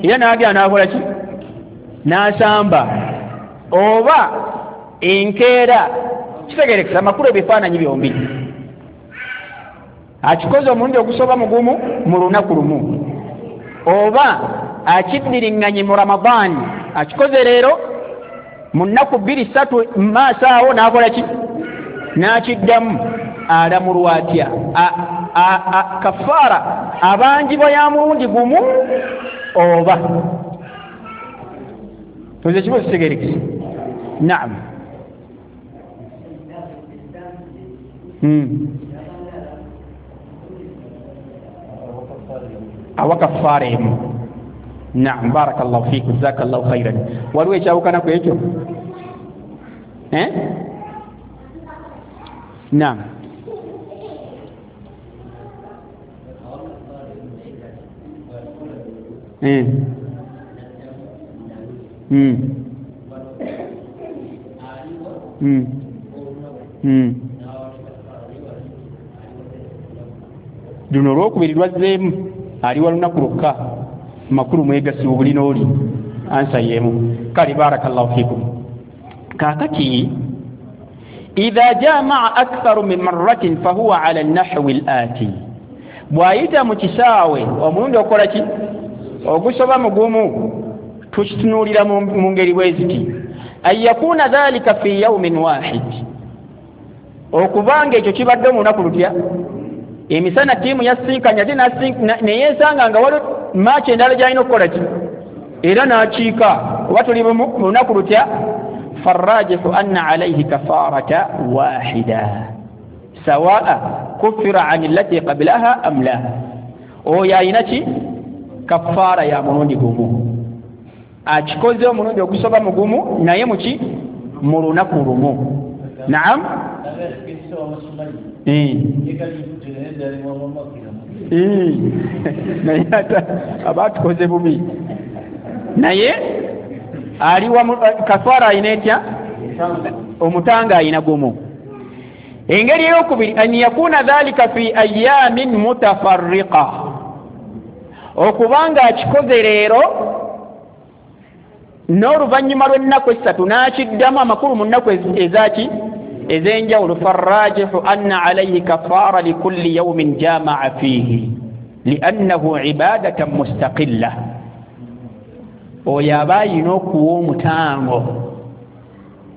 era n'agenda n'akola ki? N'asamba. Oba enkeera. Kitegeerekesa amakulu ebifaananyi byombi. Akikoze omulundi ogusoba mugumu mu lunaku lumu, oba akiddiriŋŋanye mu Ramadani, akikoze leero mu nnaku bbiri ssatu maaso awo n'akola ki? N'akiddamu. Alamulwa atya? Kafaara abanjibwa ya mulundi gumu oba? Tuze ekibuuzo kitegeerekese. Naam. Hmm. Awa kafaara emu. Naam, barakallahu fikum, jazakallahu khairan. Waliwo ekyawukana ku ekyo? Eh? Naam. Eh. Mm. Mm. Mm. Luno olwokubiri lwazzeemu aliwa lunaku lwokka, makulu mwegasibu buli n'oli ansa y'emu. Kale barakallahu fikum. Kaakati idha jamaa aktharu min marratin fahuwa ala nahwi al-ati, bw'ayita mu kisaawe omulundi okola ki ogusoba mugumu, tukitunuulira mu ngeri bwe ziti: an yakuna dhalika fi yawmin wahid, okubanga ekyo kibadde mu lunaku lutya. Emisana ttiimu yasinkanya ate neyeesanga nga waliwo maaki endala gy'alina okukola ki era n'akiika, oba tuli mu lunaku lutya. Farrajihu anna alayhi kafarata wahida sawaa kufira an allati qablaha am la, oyo alina ki kafaara ya mulundi gumu, akikoze omulundi ogusoba mugumu naye muki mu lunaku lumu. Naam. Naye ate aba atukoze bubi, naye aliwa kafaara alina etya? Omutanga alina gumu. Engeri eyokubiri, an yakuna dhalika fi ayamin mutafarriqa, okubanga akikoze leero n'oluvannyuma lw'ennaku essatu n'akiddamu, amakulu mu nnaku ezaki ez'enjawulo. Farrajihu anna alayhi kafaara likulli yawmin jamaa fiihi liannahu ibadatan mustaqilla, oyo aba ayina okuwa omutango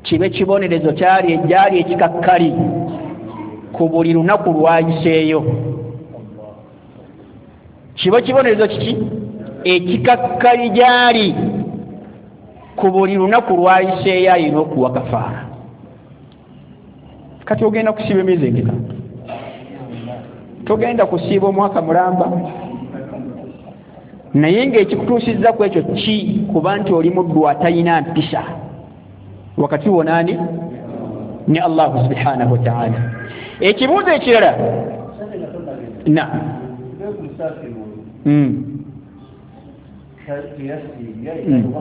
kibe kibonerezo kyali ejjaali ekikakkali ku buli lunaku lwayiseeyo. Kibe kibonerezo kiki ekikakkali gyali ku buli lunaku lwayiseeyo ayina okuwa kafaara. Kati ogenda kusiiba emyezi emeka? Togenda kusiiba omwaka mulamba, naye ng'ekikutuusizza ku ekyo ki kuba nti oli muddu atalina mpisa wakati wo naani ne Allahu subhanahu wa ta'ala. Ekibuuzo ekirala, na mm. Mm.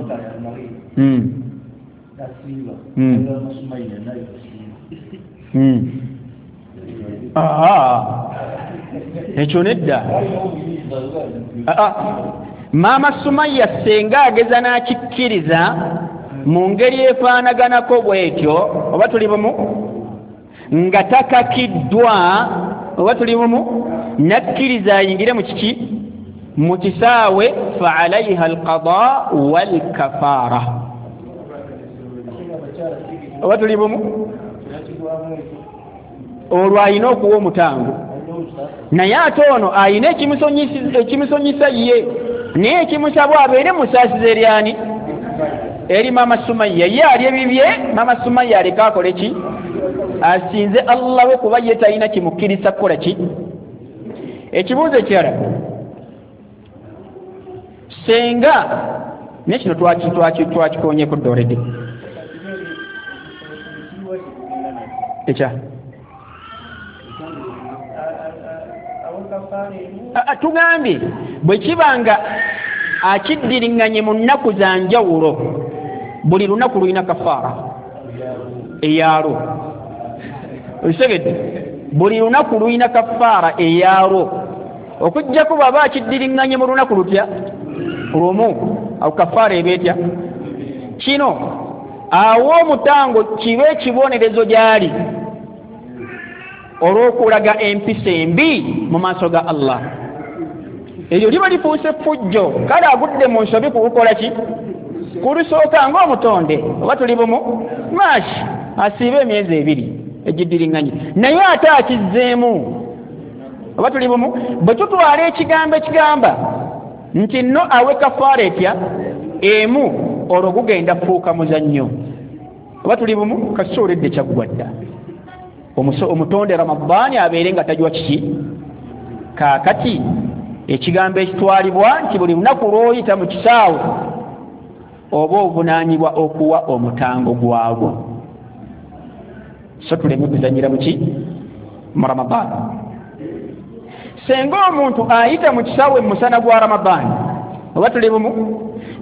Mm. Mm. Aha, ekyo nedda. Maama Sumaya senga ageza n'akikkiriza mu ngeri efaanaganako bw'etyo, oba tuli bumu, nga takakiddwa, oba tuli bumu, nakkiriza ayingire mu kiki mu kisaawe, fa alaiha alqada walkafaara, oba tuli bumu, olwo alina okuwa omutango. Naye ate ono alina ekimusonyisa ye, naye ekimusabwa abeere musaasiza eryani eri Maama Sumaya. Ye ali ebibye, Maama Sumaya aleke akole ki? Asinze Allah we, kuba ye talina kimukkiriza kukola ki. Ekibuuzo ekirala, senga naye kino twakikonyeko dda already ekya tugambye bwe kiba nga akiddiriŋŋanye mu nnaku za njawulo, buli lunaku lulina kafaara eyalwo. Okitegedde? Buli lunaku lulina kafaara eyalwo, okuggyako bw'aba akiddiriŋŋanye mu lunaku lutya lumu, awo kafaara eba etya? Kino awo omutango kibe ekibonerezo gy'ali olw'okulaga empisa embi mu maaso ga Allah. Eryo liba lifuuse ffujjo, kale agudde mu nsobi kukukola ki? Kulusooka ng'omutonde, oba tuli bumu, maashi asiibe emyezi ebiri egiddiriŋŋanye, naye ate akizzeemu, oba tuli bumu. Bwe tutwala ekigambo ekigamba nti nno awe kafaara etya emu, olwo gugenda kufuuka muzannyo, oba tuli bumu, kasooledde kyaggwa dda. Omutonde Ramadhaani abeere nga tajwa kiki. Kaakati Ekigambo ekitwalibwa nti buli lunaku lw'oyita mu kisaawe oba ovunaanyibwa okuwa omutango gwagwo. So tuleme kuzannyira muki mu Ramadaani. Senga omuntu ayita mu kisaawe mu musana gwa Ramadaani oba tuli bumu,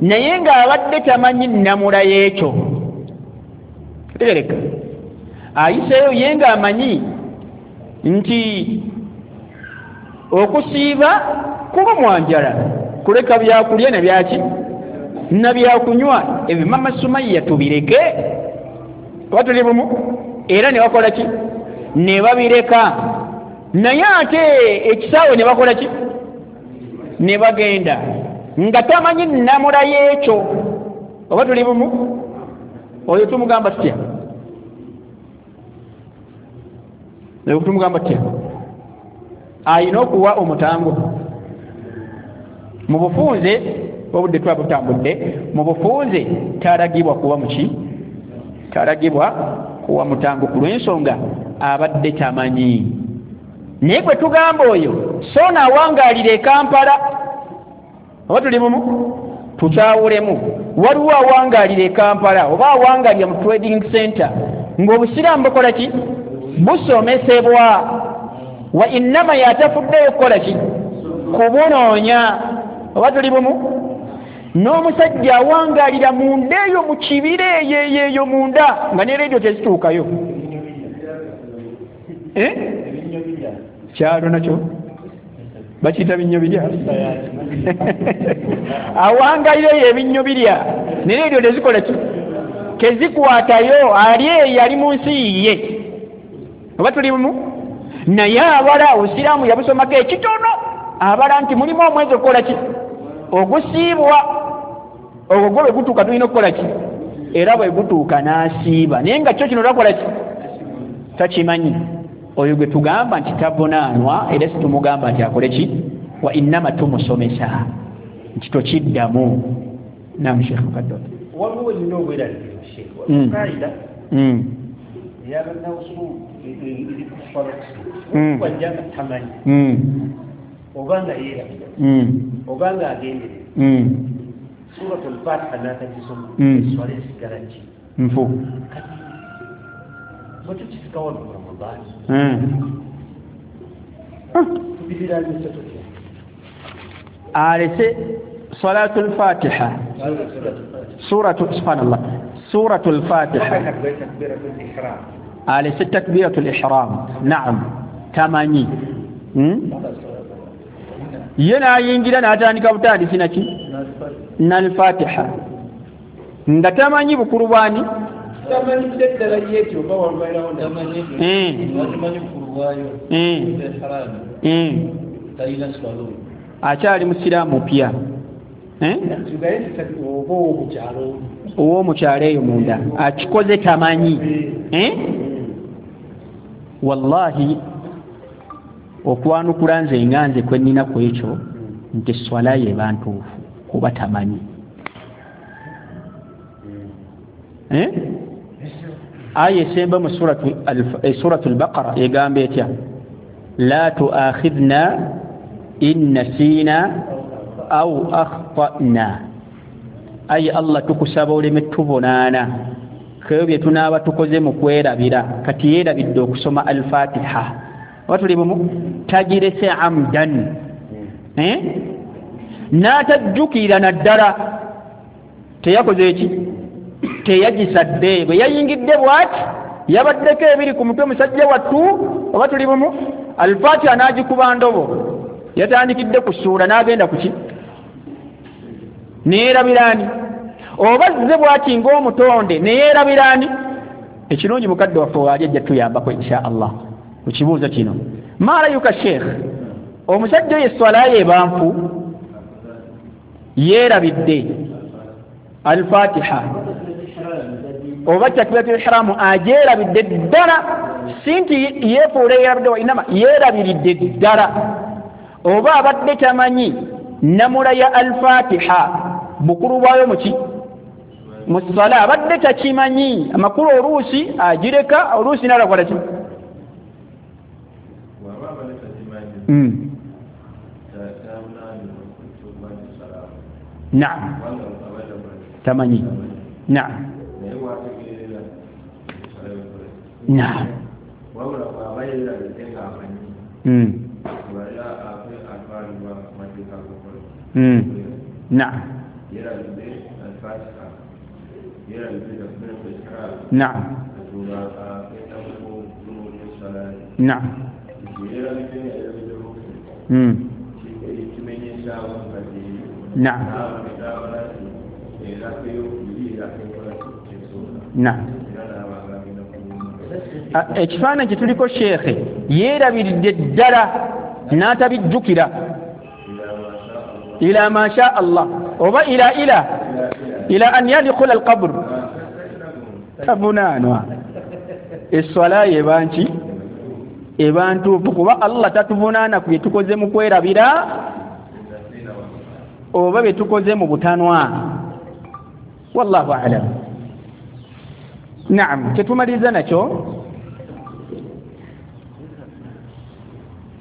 naye ng'abadde tamanyi nnamula y'ekyo, tegereka ayiseeyo ye ng'amanyi nti okusiiba kulumwa njala, kuleka byakulya na byaki na byakunywa, ebyo mama Sumayya tubireke oba tuli bumu, era ne bakola ki? Ne babireka. Naye ate ekisaawe ne bakola ki? Ne bagenda nga tamanyi nnamula y'ekyo oba tuli bumu, oyo tumugamba tutya? Oyo tumugamba tutya? Ayina okuwa omutango. Mu bufunze obudde tuba butambudde, mu bufunze talagibwa kuwa muki? Talagibwa kuwa mutango ku lw'ensonga abadde tamanyi. Naye gwe tugamba oyo so naawangaalira e Kampala oba tuli bumu, tukyawulemu. Waliwo awangaalira e Kampala oba awangaalira mu trading center ng'obusiraamu bukola ki? Busomesebwa. Wa innama yatafuddeyo kukola ki? Kubunoonya oba tuli bumu. N'omusajja awangaalira munda eyo mu kibira eyo eyo eyo munda nga ne reediyo tezituukayo. Eh? Kyalo nakyo bakiyita binnyo birya. Awangaalira eyo ebinnyo birya ne reediyo tezikola ki? Tezikwatayo. Ali eyo ali mu nsi ye oba tuli bumu. Naye abala obusiraamu yabusomako ekitono, abala nti mulimu omwezi okukola ki? Ogusiibwa. Ogwo gwo bwe gutuuka tulina okukola ki? Era bwe gutuuka n'asiiba, naye nga kyo kino takola ki? Takimanyi. Oyo gwe tugamba nti tavunaanwa, era si tumugamba nti akole ki? Wa innama tumusomesa nti tokiddamu. Naam Sheikh Mukaddo. Waliwo nina obweraliikirivu Sheikh. Kaida ey'abannawusu eri ku forex wajja nga tamanyi oba nga yeerabira oba nga agenderera Suratul Fatiha n'atagisoma eswala esigala ki? Nfu. Kati bwe tukisika wano mu Ramadaani tubiriraanyisa tutya? Alese Salatul Fatiha, suratu subhanallah, Suratul Fatiha, alese takbiratul ihram. Naam, tamanyi ye n'ayingira n'atandika butandisi naki n'Al-Fatiha nga tamanyi bukulu bwani, akyali musiraamu mupya ow'omukyalo eyo munda akikoze tamanyi. Wallahi okwanukula nze nga nze kwe nnina ku ekyo nti swala ye eba ntuufu kuba tamanyi. Aya esemba mu Suratul Baqara egamba etya? La tuakhidhna in nasina au akhtana. Ayi Allah tukusaba oleme tubonaana kebyo bye tunaaba tukoze mu kwerabira. Kati yeerabidde okusoma Al-Fatiha oba tuli bumu, tagirese amdan eh? N'atajjukira naddala teyakoze eki? Teyagisadde. Bwe yayingidde bw'ati yabaddeko ebiri ku mutwe musajja wattu oba tuli bumu, Al-Fatiha n'agikuba ndobo, yatandikidde ku ssuula n'agenda ku ki? Neyeerabiraani. Oba zze bw'ati ng'omutonde neyeerabiraani. Ekirungi mukadde waffe waali ajja tuyambako insha Allah ku kibuuzo kino. Maarayuka Sheikh, omusajja oyo esswala ye eba nfu, yeerabidde Al-Fatiha oba takbiratul ihramu agyerabidde ddala, si nti yeefuula yeerabidde wa inama yeerabiridde ddala, oba abadde tamanyi namula ya Al-Fatiha bukulu bwayo muki mu ssala, abadde takimanyi amakulu, oluusi agireka oluusi n'alakola ki? Mm. Naam, tamanyi. Naam, naam. Mm. Mm. Naam. Naam. Naam. Mm. Naam. Naam. Ekifaananyi kye tuliko sheekhe yeerabiridde ddala n'atabijjukira ila ma sha Allah oba ila ila ila an yadkhula alqabr tavunaanwa. Esswala eba nki? Eba ntuufu, kuba Allah tatuvunaana ku bye tukoze mu kwerabira oba bye tukoze mu butanwa. Wallahu a'lam. Naam, kyetumaliriza nakyo.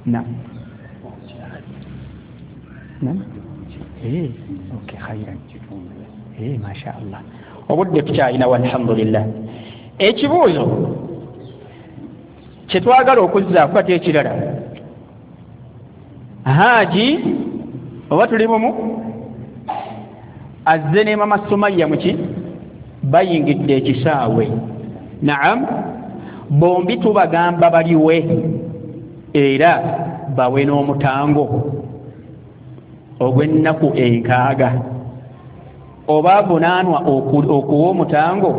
Naam. Naam. Eh, okay, khairan. Eh, masha Allah. Obudde tukyalina walhamdulillah. Ekibuuzo kyetwagala okuzzaako ate ekirala, Haji oba tuli bumu azze ne mama Sumayya muki bayingidde ekisaawe. Naam, bombi tubagamba baliwe era bawe n'omutango ogw'ennaku enkaaga. Oba avunaanwa okuwa omutango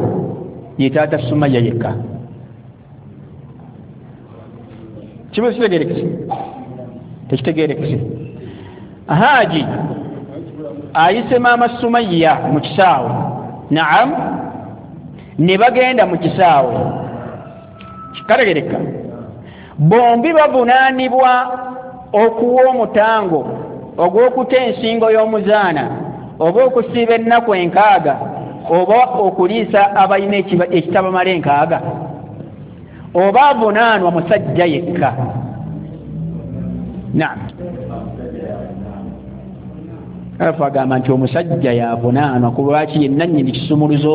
ye taata Sumayya yekka. Kibuuzo kitegeerekese? Tekitegeerekese. Haji ayise maama Sumayya mu kisaawe. Naam, ne bagenda mu kisaawe. Kitegeerekeka. Bombi bavunaanibwa okuwa omutango ogw'okuta ensingo y'omuzaana oba okusiiba ennaku enkaaga oba okuliisa abalina ekitabamala enkaaga, oba avunaanwa musajja yekka. Naam. Alafu agamba nti omusajja yavunaanwa ku lwaki ye nannyini kisumuluzo,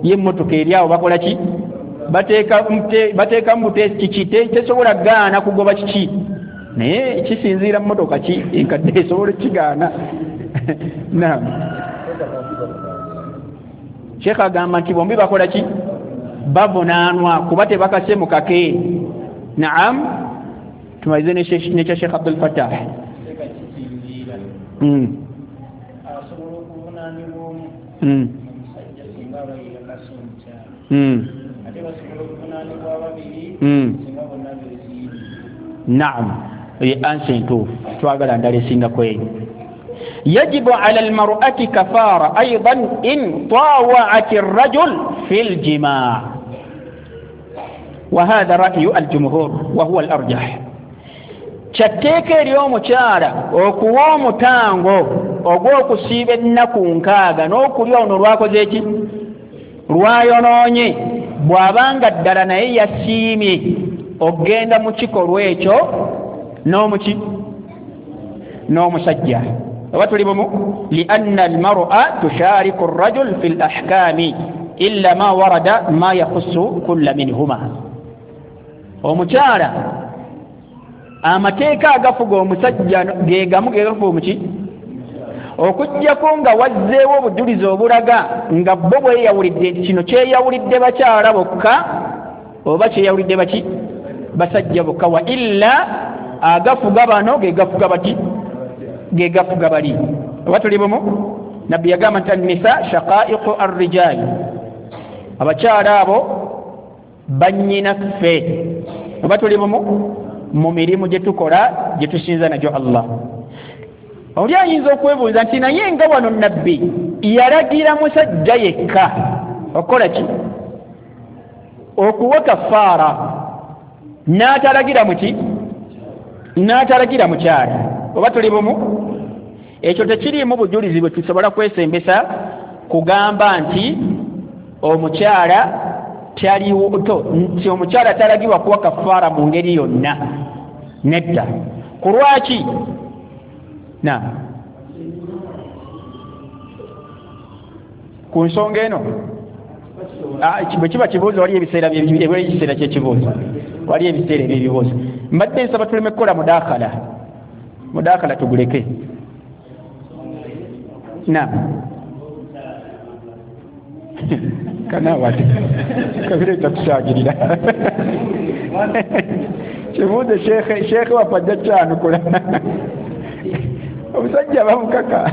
ye emmotoka eri awo bakola ki? Bateekamu buteesi kiki, tesobola gaana kugoba kiki, naye kisinziira mmotoka ki enkadde esobola kigaana. Naam. Sheikh agamba nti bombi bakola ki? Bavunaanwa kuba tebakase mu kake. Naam, tumalize nekya Sheikh Abdul Fattah. Mm. Mm. Mm. Mm. Naam, ye ansa entuufu twagala ndala esingako eyo. Yajibu ala almar'ati kafara aidan in tawa'at ar-rajul fi al-jima' wa hadha ra'yu al-jumhur wa huwa al-arjah. Kyatteeka eri omukyala okuwa omutango ogw'okusiiba ennaku nkaaga n'okulya ono lwakoze ki? Lwayonoonye, bw'abanga ddala naye yasiimye okugenda mu kikolwa ekyo n'omuki n'omusajja. Oba tuli bumu? Lianna almar'a tushariku arrajul fi lahkami illa ma warada ma yakhusu kulla minhuma. Omukyala amateeka agafuga omusajja ge gamu ge gafuga omuki, okuggyako nga wazzeewo obujulizi obulaga nga bo bweyawulidde kino kyeyawulidde bakyala bokka oba kyeyawulidde baki basajja bokka, wa illa agafuga bano ge gafuga bati ge gafuga bali. Oba tuli bumu? Nabbi yagamba nti annisa shaqaiqu arrijal, abakyala abo bannyinaffe. Oba tuli bumu? Mu mirimu gye tukola gye tusinza nagyo Allah. Oli ayinza okwebuuza nti naye nga wano nabbi yalagira musajja yekka okukola ki? Okuwa kafaara, n'atalagira muki? N'atalagira mukyala. Oba tuli bumu? Ekyo tekiriimu bujulizi bwe tusobola kwesembesa kugamba nti omukyala taliwo to nti omukyala talagibwa kuwa kafaara mu ngeri yonna. Nedda. Ku lwaki? Naam. Ku nsonga eno bwe kiba kibuuzo waliyo ebiseera ekiseera ky'ekibuuzo, waliyo ebiseera eby'ebibuuzo. Mbadde nsaba tuleme kukola mudaakala, mudaakala tuguleke. Naam, kanawate kabire tatusagirira kibuuzo shekhe shekhe waffe ajja kyanukula. Omusajja bamukaka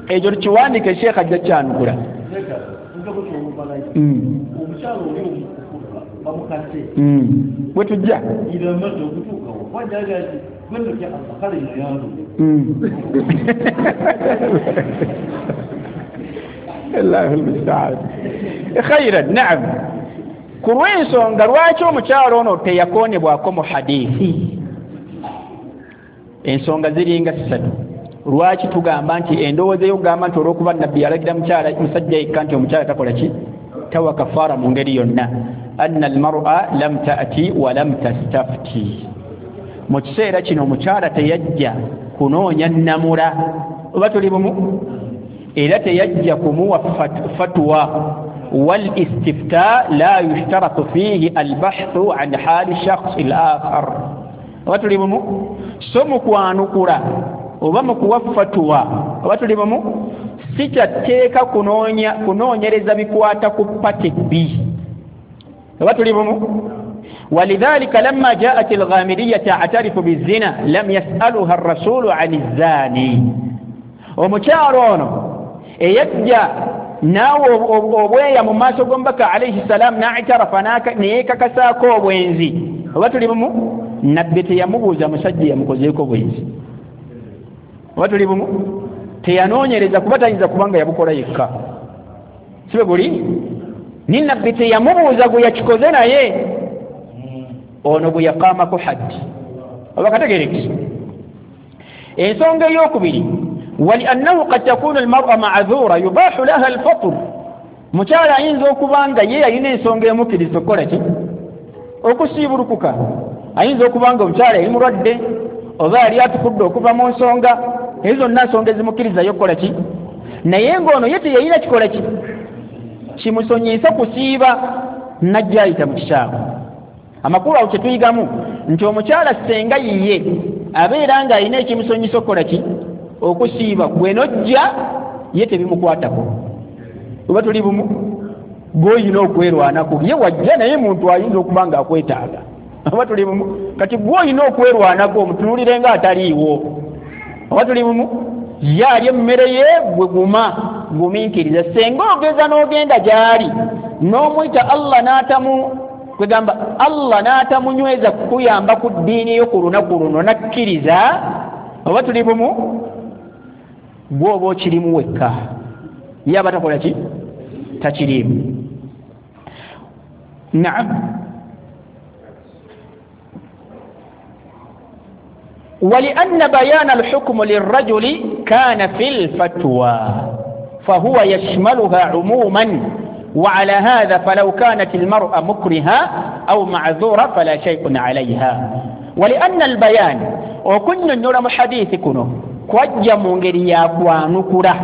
ekyo tukiwandiike, shekhe ajja kyanukula. Bwe tujja Allahu almusta'an. Khairan. Naam, ku lw'ensonga lwaki omukyalo ono teyakoonebwako mu hadithi, ensonga ziringa ssatu. Lwaki tugamba nti endowooza ey'okugamba nti olw'okuba nabbi yalagira mukyala musajja yekka nti omukyala takola ki, tawa kafaara mu ngeri yonna, anna almar'a lam ta'ti wa lam tastafti. Mu kiseera kino omukyala teyajja kunoonya nnamula, oba tuli bumu, era teyajja kumuwa fatwa. Wal istifta la yushtaratu fihi albahthu an hali shakhs al-akhar, oba tuli bumu. So mu kwanukula oba mu kuwa fatwa, oba tuli bumu, si kyatteeka kunoonya kunoonyereza bikwata ku pati B, oba tuli bumu. ولذلك لما جاءت الغامدية تعترف بالزنا لم يسألها الرسول عن الزاني. Omukyalo ono eyajja naawe obweya mu maaso g'omubaka alayhi salam n'atarafa neyeekakasaako obwenzi, oba tuli bumu, nabbi teyamubuuza musajja yamukozeeko bwenzi, oba tuli bumu, teyanoonyereza kuba tayinza kubanga yabukola yekka, si bwe guli? Ni nabbi teyamubuuza gwe yakikoze naye ono gwe yakaamako haddi, oba kategerekese. Ensonga ey'okubiri, waliannahu qad takunu almar'a ma'dhura yubahu laha alfatr. Mukyala ayinza okuba nga ye yalina ensonga emukkiriza okukola ki, okusiibulukuka. Ayinza okuba nga omukyala yali mulwadde oba yali atukudde okuva mu nsonga ezo zonna, nsonga ezimukkirizayo okukola ki, naye ng'ono ye teyalina kikola ki kimusonyiisa kusiiba, najja ayita mu kisaawe. Amakulu awo kye tuyigamu nti omukyala ssenga yiye abeera ng'alina ekimusonyisa okukola ki, okusiiba, gwe nojja ye tebimukwatako, oba tuli bumu, gw'olina okwerwanako. Ye wajja naye muntu ayinza okuba ng'akwetaaga, oba tuli bumu. Kati gw'olina okwerwanako omutunuulire ng'ataliiwo, oba tuli bumu. Ye alya emmere ye, gwe guma gumiikiriza. Ssenga ogeza n'ogenda gy'ali n'omuyita Allah n'atamu kwegamba Allah n'atamunyweza kukuyamba ku ddiini yo ku lunaku luno nakkiriza, oba tuli bumu, gw'oba okirimu wekka, ye aba takola ki, takiriimu. Naam. ولأن بيان الحكم للرجل كان في الفتوى فهو يشملها عموما، وعلى هذا فلو كانت المرأة مكرهة أو معذورة فلا شيء عليها. ولأن البيان وكنا نرى حديث كنو kwajja mu ngeri ya kwanukula,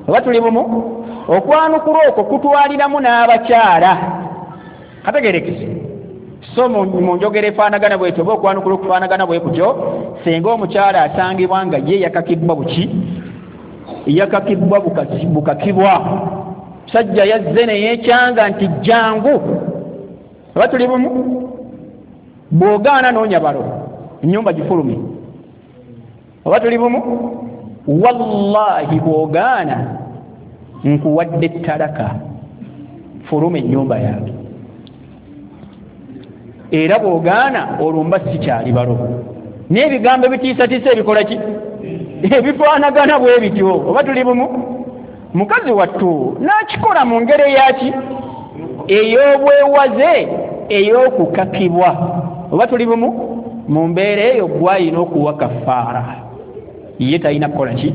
oba tuli bumu, okwanukula okwo kutwaliramu n'abakyala, kategerekese. So mu njogera efaanagana bwetyo oba okwanukula okufaanagana bwe kutyo, singa omukyala asangibwa nga ye yakakibwa buki, yakakibwa bukakibwa, musajja yazze ne yeekyanga nti jangu, oba tuli bumu, bw'ogaana noonya balo ennyumba gifulume, oba tuli bumu, wallahi bw'ogaana nkuwadde talaka, fuluma ennyumba yange, era bw'ogaana olwo mba sikyali balo. N'ebigambo ebitiisatiisa ebikola ki, ebifaanagana bwe bityo, oba tuli bumu. Mukazi wattu n'akikola mu ngeri eyaki, ey'obwewaze, ey'okukakibwa, oba tuli bumu. Mu mbeera eyo gw'alina okuwa kafaara, ye talina kukola ki.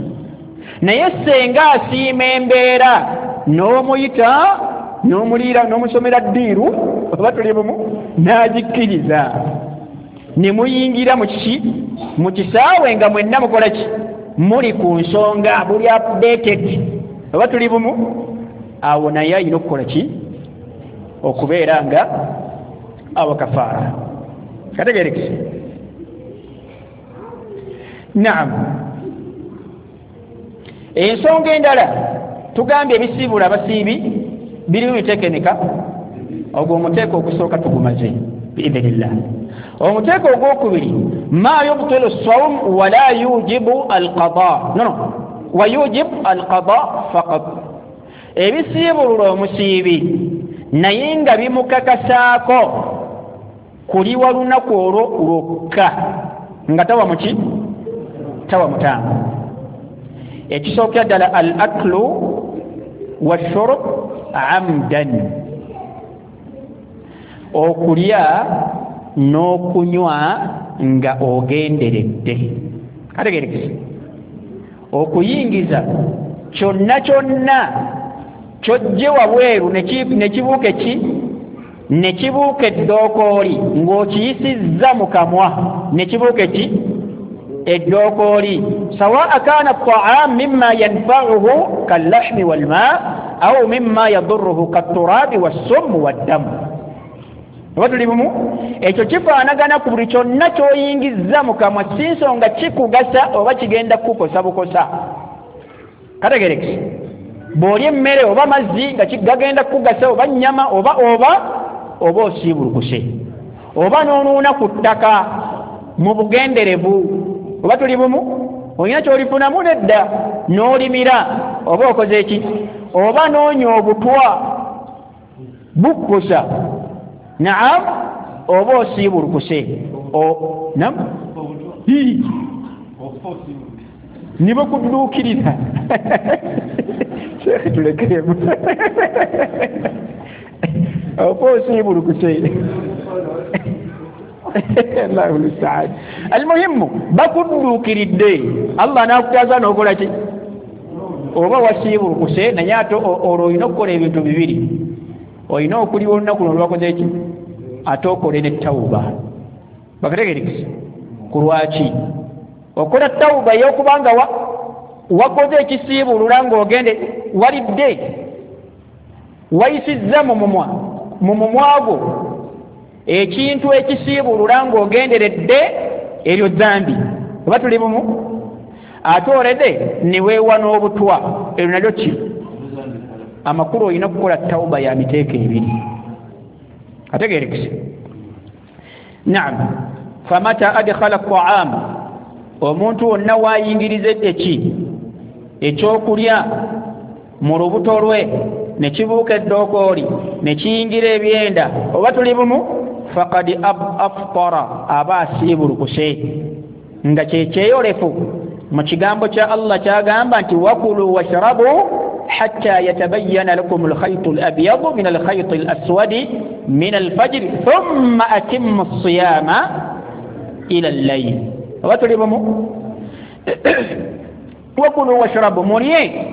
Naye ssenga asiima embeera n'omuyita n'omuliira n'omusomera ddiiru, oba tuli bumu, n'agikkiriza ne muyingira mu kiki, mu kisaawe nga mwenna mukola ki, muli ku nsonga buli updated oba tuli bumu awo naye ayina okukola ki okubeera nga awa kafaara kategerekese naam ensonga endala tugambye ebisiibula abasiibi birimu miteeko emeka ogwo omuteeko ogusooka tugumaze biidhnillah omuteeko ogwokubiri ma yubtilu sawm wala yujibu alqada no no wa yujib alqada faqat ebisiibulula omusiibi naye nga bimukakasaako kuliwa lunaku olwo lwokka nga tawa muki tawa mutango ekisookera ddala al aklu washurb amdan okulya n'okunywa nga ogenderedde kategerekese okuyingiza kyonna kyonna kyojje wabweru ne kibuuka ki ne kibuuka eddookooli ng'okiyisizza mu kamwa ne kibuuka ki eddookooli sawaa kaana taam mimma yanfauhu kallahmi walma au mimma yadurruhu katturabi wassummu waddamu oba tuli bumu ekyo kifaanagana ku buli kyonna ky'oyingizza mu kamwa si nsonga kikugasa oba kigenda kukukosa bukosa kategerekese bw'olya emmere oba mazzi nga gagenda kukugasa oba nnyama oba oba oba osiibulukuse oba n'onuuna ku ttaka mu bugenderevu oba tuli bumu olina ky'olifunamu nedda n'olimira oba okoze ki oba n'onywa obutwa bukkusa naam oba osiibulukuse nam nibakudduukirira sheekhe tulekeremu oba osiibulukuse Allahu musta'an almuhimu bakudduukiridde Allah n'akutaasa n'okola ki oba wasiibulukuse naye ate olwo olina okukola ebintu bibiri olina okuliwa olunaku luno lwakoze ki ate okole ne tawuba bakategerekese ku lwaki okola tawuba ey'okubanga wakoze ekisiibulula ng'ogende walidde wayisizza mu mumwa mu mumwa gwo ekintu ekisiibulula ng'ogenderedde eryo zzambi oba tuli bumu ate olede ne weewa n'obutwa eryo nalyo ki amakulu olina okukola tawuba ya miteeko ebiri ategerekese naam famata adkhala ta'am omuntu wonna waayingiriza eki ekyokulya mu lubuto lwe ne kibuuka eddookooli ne kiyingira ebyenda oba tuli bumu faqad aftara aba asiibulukuse nga kyekyeyolefu mu kigambo kya Allah kyagamba nti wakulu washrabu hatta yatabayyana lakum alkhaytu alabyadu min alkhayti alaswadi min alfajri thumma atimmu as-siyama ila al-layl oba tuli bumu wakulu washrabu mulye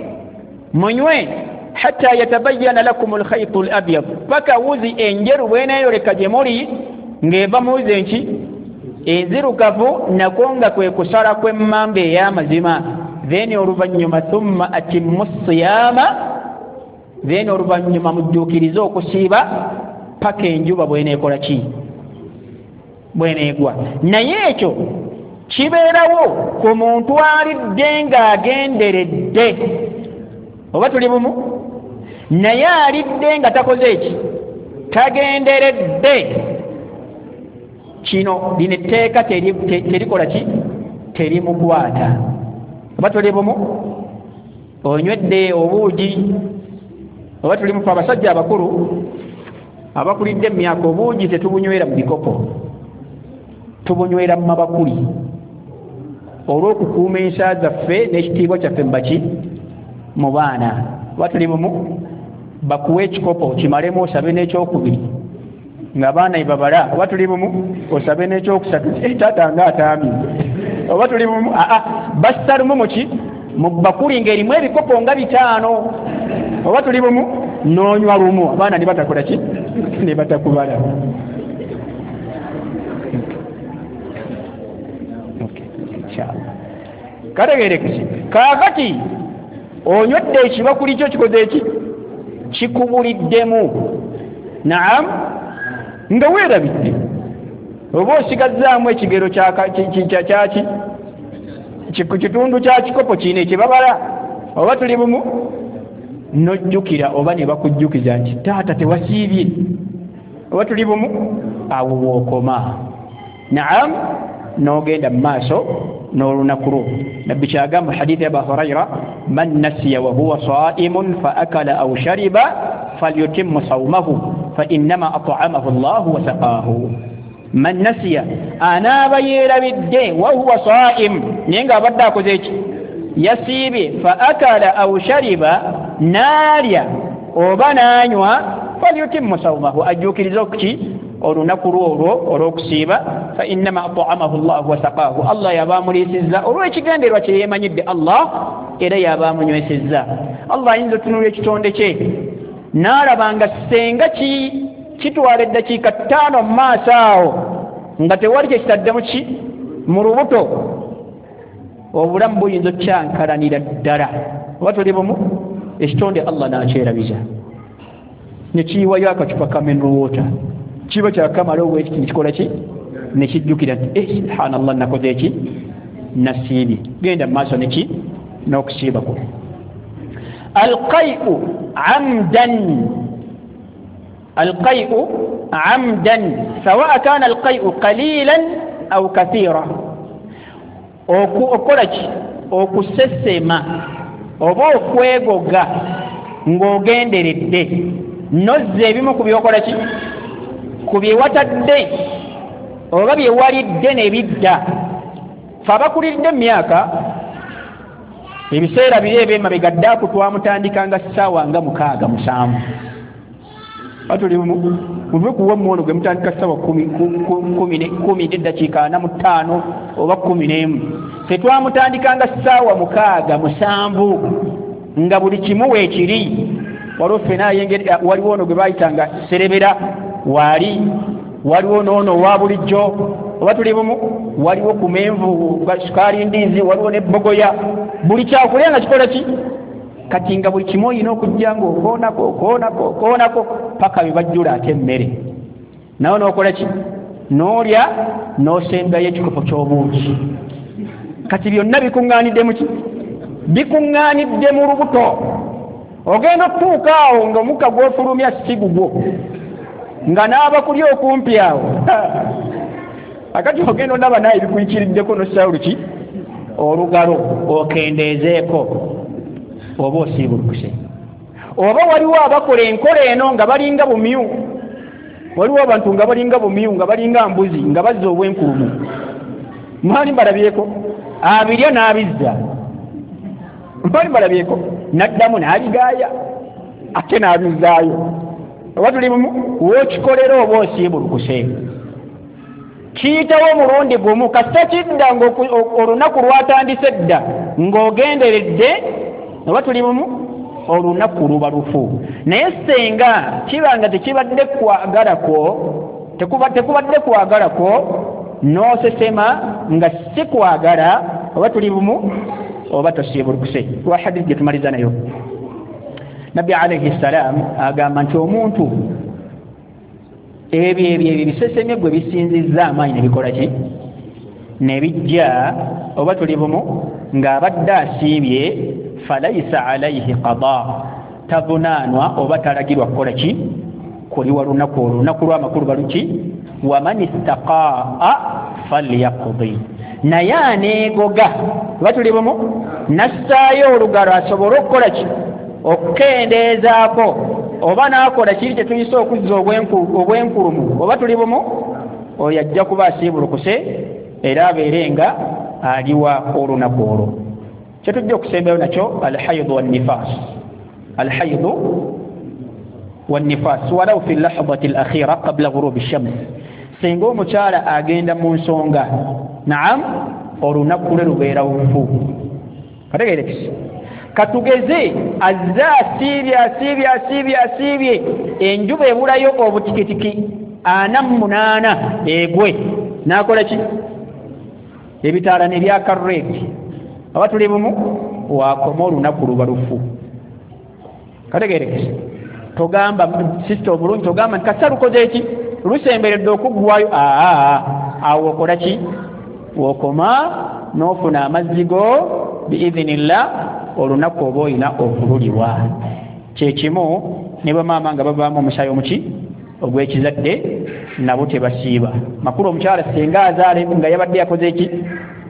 munywe hatta yatabayyana lakum alkhaytu alabyad paka wuzi enjeru bw'eneeyoleka gye muli ng'eva mu wuzi enki enzirugavu nako nga kwe kusala kw'emmamba ey'amazima then oluvannyuma thumma atimmu siyama then oluvannyuma mujjuukirize okusiiba paka enjuba bw'eneekola ki bw'eneegwa naye ekyo kibeerawo ku muntu alidde ng'agenderedde oba tuli bumu naye alidde nga takoze eki tagenderedde kino lino etteeka terikola ki terimukwata oba tuli bumu onywedde obuugi oba tuli mufe abasajja abakulu abakulidde emyaka obuugi tetubunywera mu bikopo tubunywera mu mabakuli olw'okukuuma ensa zaffe n'ekitiibwa kyaffe mubaki mu baana oba tuli bumu bakuwe ekikopo kimalemu osabe n'ekyokubiri ng'abaana ebabala oba tuli bumu osabe n'ekyokusatu taata nga ataamye oba tuli bumu aa bassa lumu muki mu bakuli ng'erimu ebikopo nga bitaano oba tuli bumu n'onywa lumu abaana ne batakola ki ne batakubala inshallah. Kategeerekese. Kaakati onywedde ekibakuli kyo kikoze eki? Kikubuliddemu. Naam, nga weerabidde oba osigazzaamu ekigero kyaki kitundu kya kikopo kino ekibabala, oba tuli bumu, nojjukira oba ne bakujjukiza nti taata tewasiibye, oba tuli bumu, awo wookoma. Naam, n'ogenda mu maaso n'olunaku lwo. Nabbi kyagamba hadithi ya Aba Huraira, man nasiya wa huwa saimun fa akala aw shariba falyutimmu sawmahu fa innama at'amahu Allahu wa saqahu. Man nasiya, anaaba yeerabidde, wa huwa saim, naye ng'abadde akoze eki? Yasiibye. Fa akala aw shariba, n'alya oba n'anywa, falyutimmu sawmahu, ajjuukirize okuki olunaku lwo olwo olw'okusiiba. Fa innama at'amahu Allahu wa saqahu, Allah yaba amuliisizza olw'ekigendererwa kye yeemanyidde Allah, era yaba amunywesezza. Allah ayinza otunuulira ekitonde kye n'alaba nga senga ki kitwala eddakiika ttaano mu maaso awo nga tewali kye kitaddemu ki mu lubuto, obulamu buyinza okukyankalanira ddala. Oba tuli bumu, ekitonde Allah n'akyerabiza ne kiyiwayo akacupa ka mineral water, kiba kyakamala obwekiti nekikola ki, nekijjukira nti eh, subhanallah, nakoze eki? Nasiibye. Genda mu maaso neki n'okusiibako. Alqai'u amdan, alqai'u amdan sawa kana alqai'u qalilan aw kathira, okukola ki? Okusesema oba okwegoga ng'ogenderedde, nozza ebimu ku byokola ki, ku bye watadde oba bye walidde ne bidda. Fe abakuliridde mu myaka, ebiseera biri eby'emabega ddaaku twamutandikanga ssaawa nga mukaaga musanvu. Batuli muve kuwa muwono gwe mutandika ssaawa kumi n'eddakiika ana mu ttaano oba kumi n'emu. Ffe twamutandikanga ssaawa mukaaga musanvu nga buli kimu weekiri. Waliwo ffena ayengeri, waliwo ono gwe baayitanga serebera waali, waliwo n'ono owa bulijjo, oba tuli bumu, waliwo kumenvu sukaali ndiizi, waliwo n'ebbogoya, buli kyakulya nga kikola ki? Kati nga buli kimu olina okujja ng'okoonako okoonako okoonako paka bye bajjula ate emmere, nawe n'okola ki? N'olya n'osembayo ekikopo ky'obuugi. Kati byonna bikuŋŋaanidde mu ki? Bikuŋŋaanidde mu lubuto. Ogenda okutuuka awo ng'omukka gw'ofulumya si gugwo, nga n'abakuli okumpi awo akati ogenda olaba naye bikuyikiriddeko n'ossaawo luki olugalo okendeezeeko oba osiibulukuse. Oba waliwo abakola enkola eno nga balinga bumyu, waliwo abantu nga balinga bumyu, nga balinga mbuzi, nga bazza obwenkulumu. Mwali mbalabyeko abirya n'abizza, mwali mbalabyeko n'addamu n'abigaaya ate n'abizzaayo. Oba tuli bumu, w'okikolera oba osiibulukuse. Kiyitawo omulundi gumu, kasita kidda ng'olunaku lwatandise dda ng'ogenderedde, oba tuli bumu, olunaku luba lufu. Naye senga kiba nga tekibadde kwagala kwo, tekubadde kwagala kwo, n'osesema nga si kwagala, oba tuli bumu, oba tosiibulukuse. Lwa hadithi gye tumaliza nayo, Nabbi alayhi salam agamba nti omuntu ebyo ebyo ebyo bisesemye gwe bisinzizza amaanyi ne bikola ki? Ne bijja, oba tuli bumu, ng'abadde asiibye, falaisa alaihi qada, tavunaanwa oba talagirwa kukola ki? Kuliwa lunaku olwo. Olunaku lw'amakulu baluki? Waman istaqaa falyaqdi, naye aneegoga, oba tuli bumu, nassaayo olugalo asobole okukola ki? Okukendeezaako oba n'akola kiri kye tuyise okuzza obwenkulumu, oba tuli bumu, oyo ajja kuba asiibulukuse era abeere nga aliwa olunaku olwo. Kye tujja okusembayo nakyo alhaidu wannifas, alhaidu wannifas walau fi lahadati alakhira qabla ghurubi shams. Singa omukyala agenda mu nsonga, naam, olunaku lwe lubeera lufu. Kategeerekese. Katugeze azze asiibye asiibye asiibye asiibye, enjuba ebulayo obutikitiki ana mu munaana egwe, n'akola ki? Ebitaala ne byaka red, Oba tuli bumu, wakoma olunaku luba lufu. Kategeerekese. Togamba sisita omulungi, togamba nti kasita lukoze eki lusemberedde okuggwayo, aa awo okola ki? Wokoma n'ofuna amazzi go biidhinillah, olunaku oba olina okululiwa. Kyekimu ne bamaama nga bavaamu omusaayi omuki ogw'ekizadde, nabo tebasiiba. Makulu omukyala singa azaala nga yabadde yakoze eki,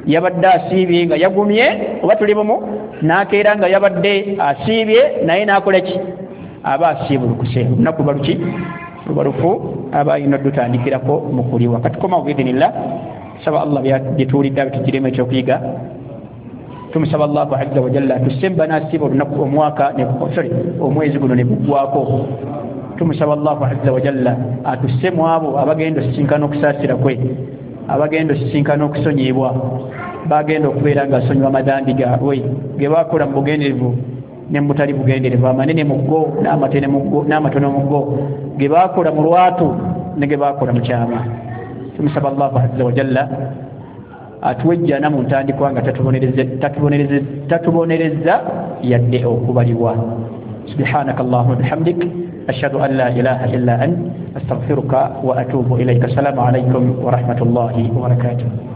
yabadde asiibye nga yagumye, oba tuli bumu, n'akeera nga yabadde asiibye naye n'akola ki? Aba asiibulukuse. Olunaku luba luki? Luba lufu, aba alina oddutandikirako mu kuliwa. Katukomawo biidhinillah. Saba Allah byetuwulidde abitugiremu ekyokuyiga. Tumusaba Allahu azza wa jalla atusemba n'asiiba olunaku omwaka sorry omwezi guno ne guggwako. Tumusaba Allahu azza wa jalla atusse mu abo abagenda osisinkana okusaasira kwe, abagenda osisinkana okusonyiyibwa, bagenda okubeera nga asonyiwa amadambi gaabwe ge bakola mu bugenderevu ne mu butali bugenderevu, amanene mu go n'amatono mu go, ge bakola mu lwatu ne ge bakola mu kyama. Tumusaba Allahu azza wa jalla atuwejjana mu ntandikwa nga tatubonereza yadde okubalibwa. Subhanaka Allahumma bihamdik, ashhadu an la ilaha illa ant, astaghfiruka wa atubu ilayka. Assalamu alaykum wa rahmatullahi wa barakatuh.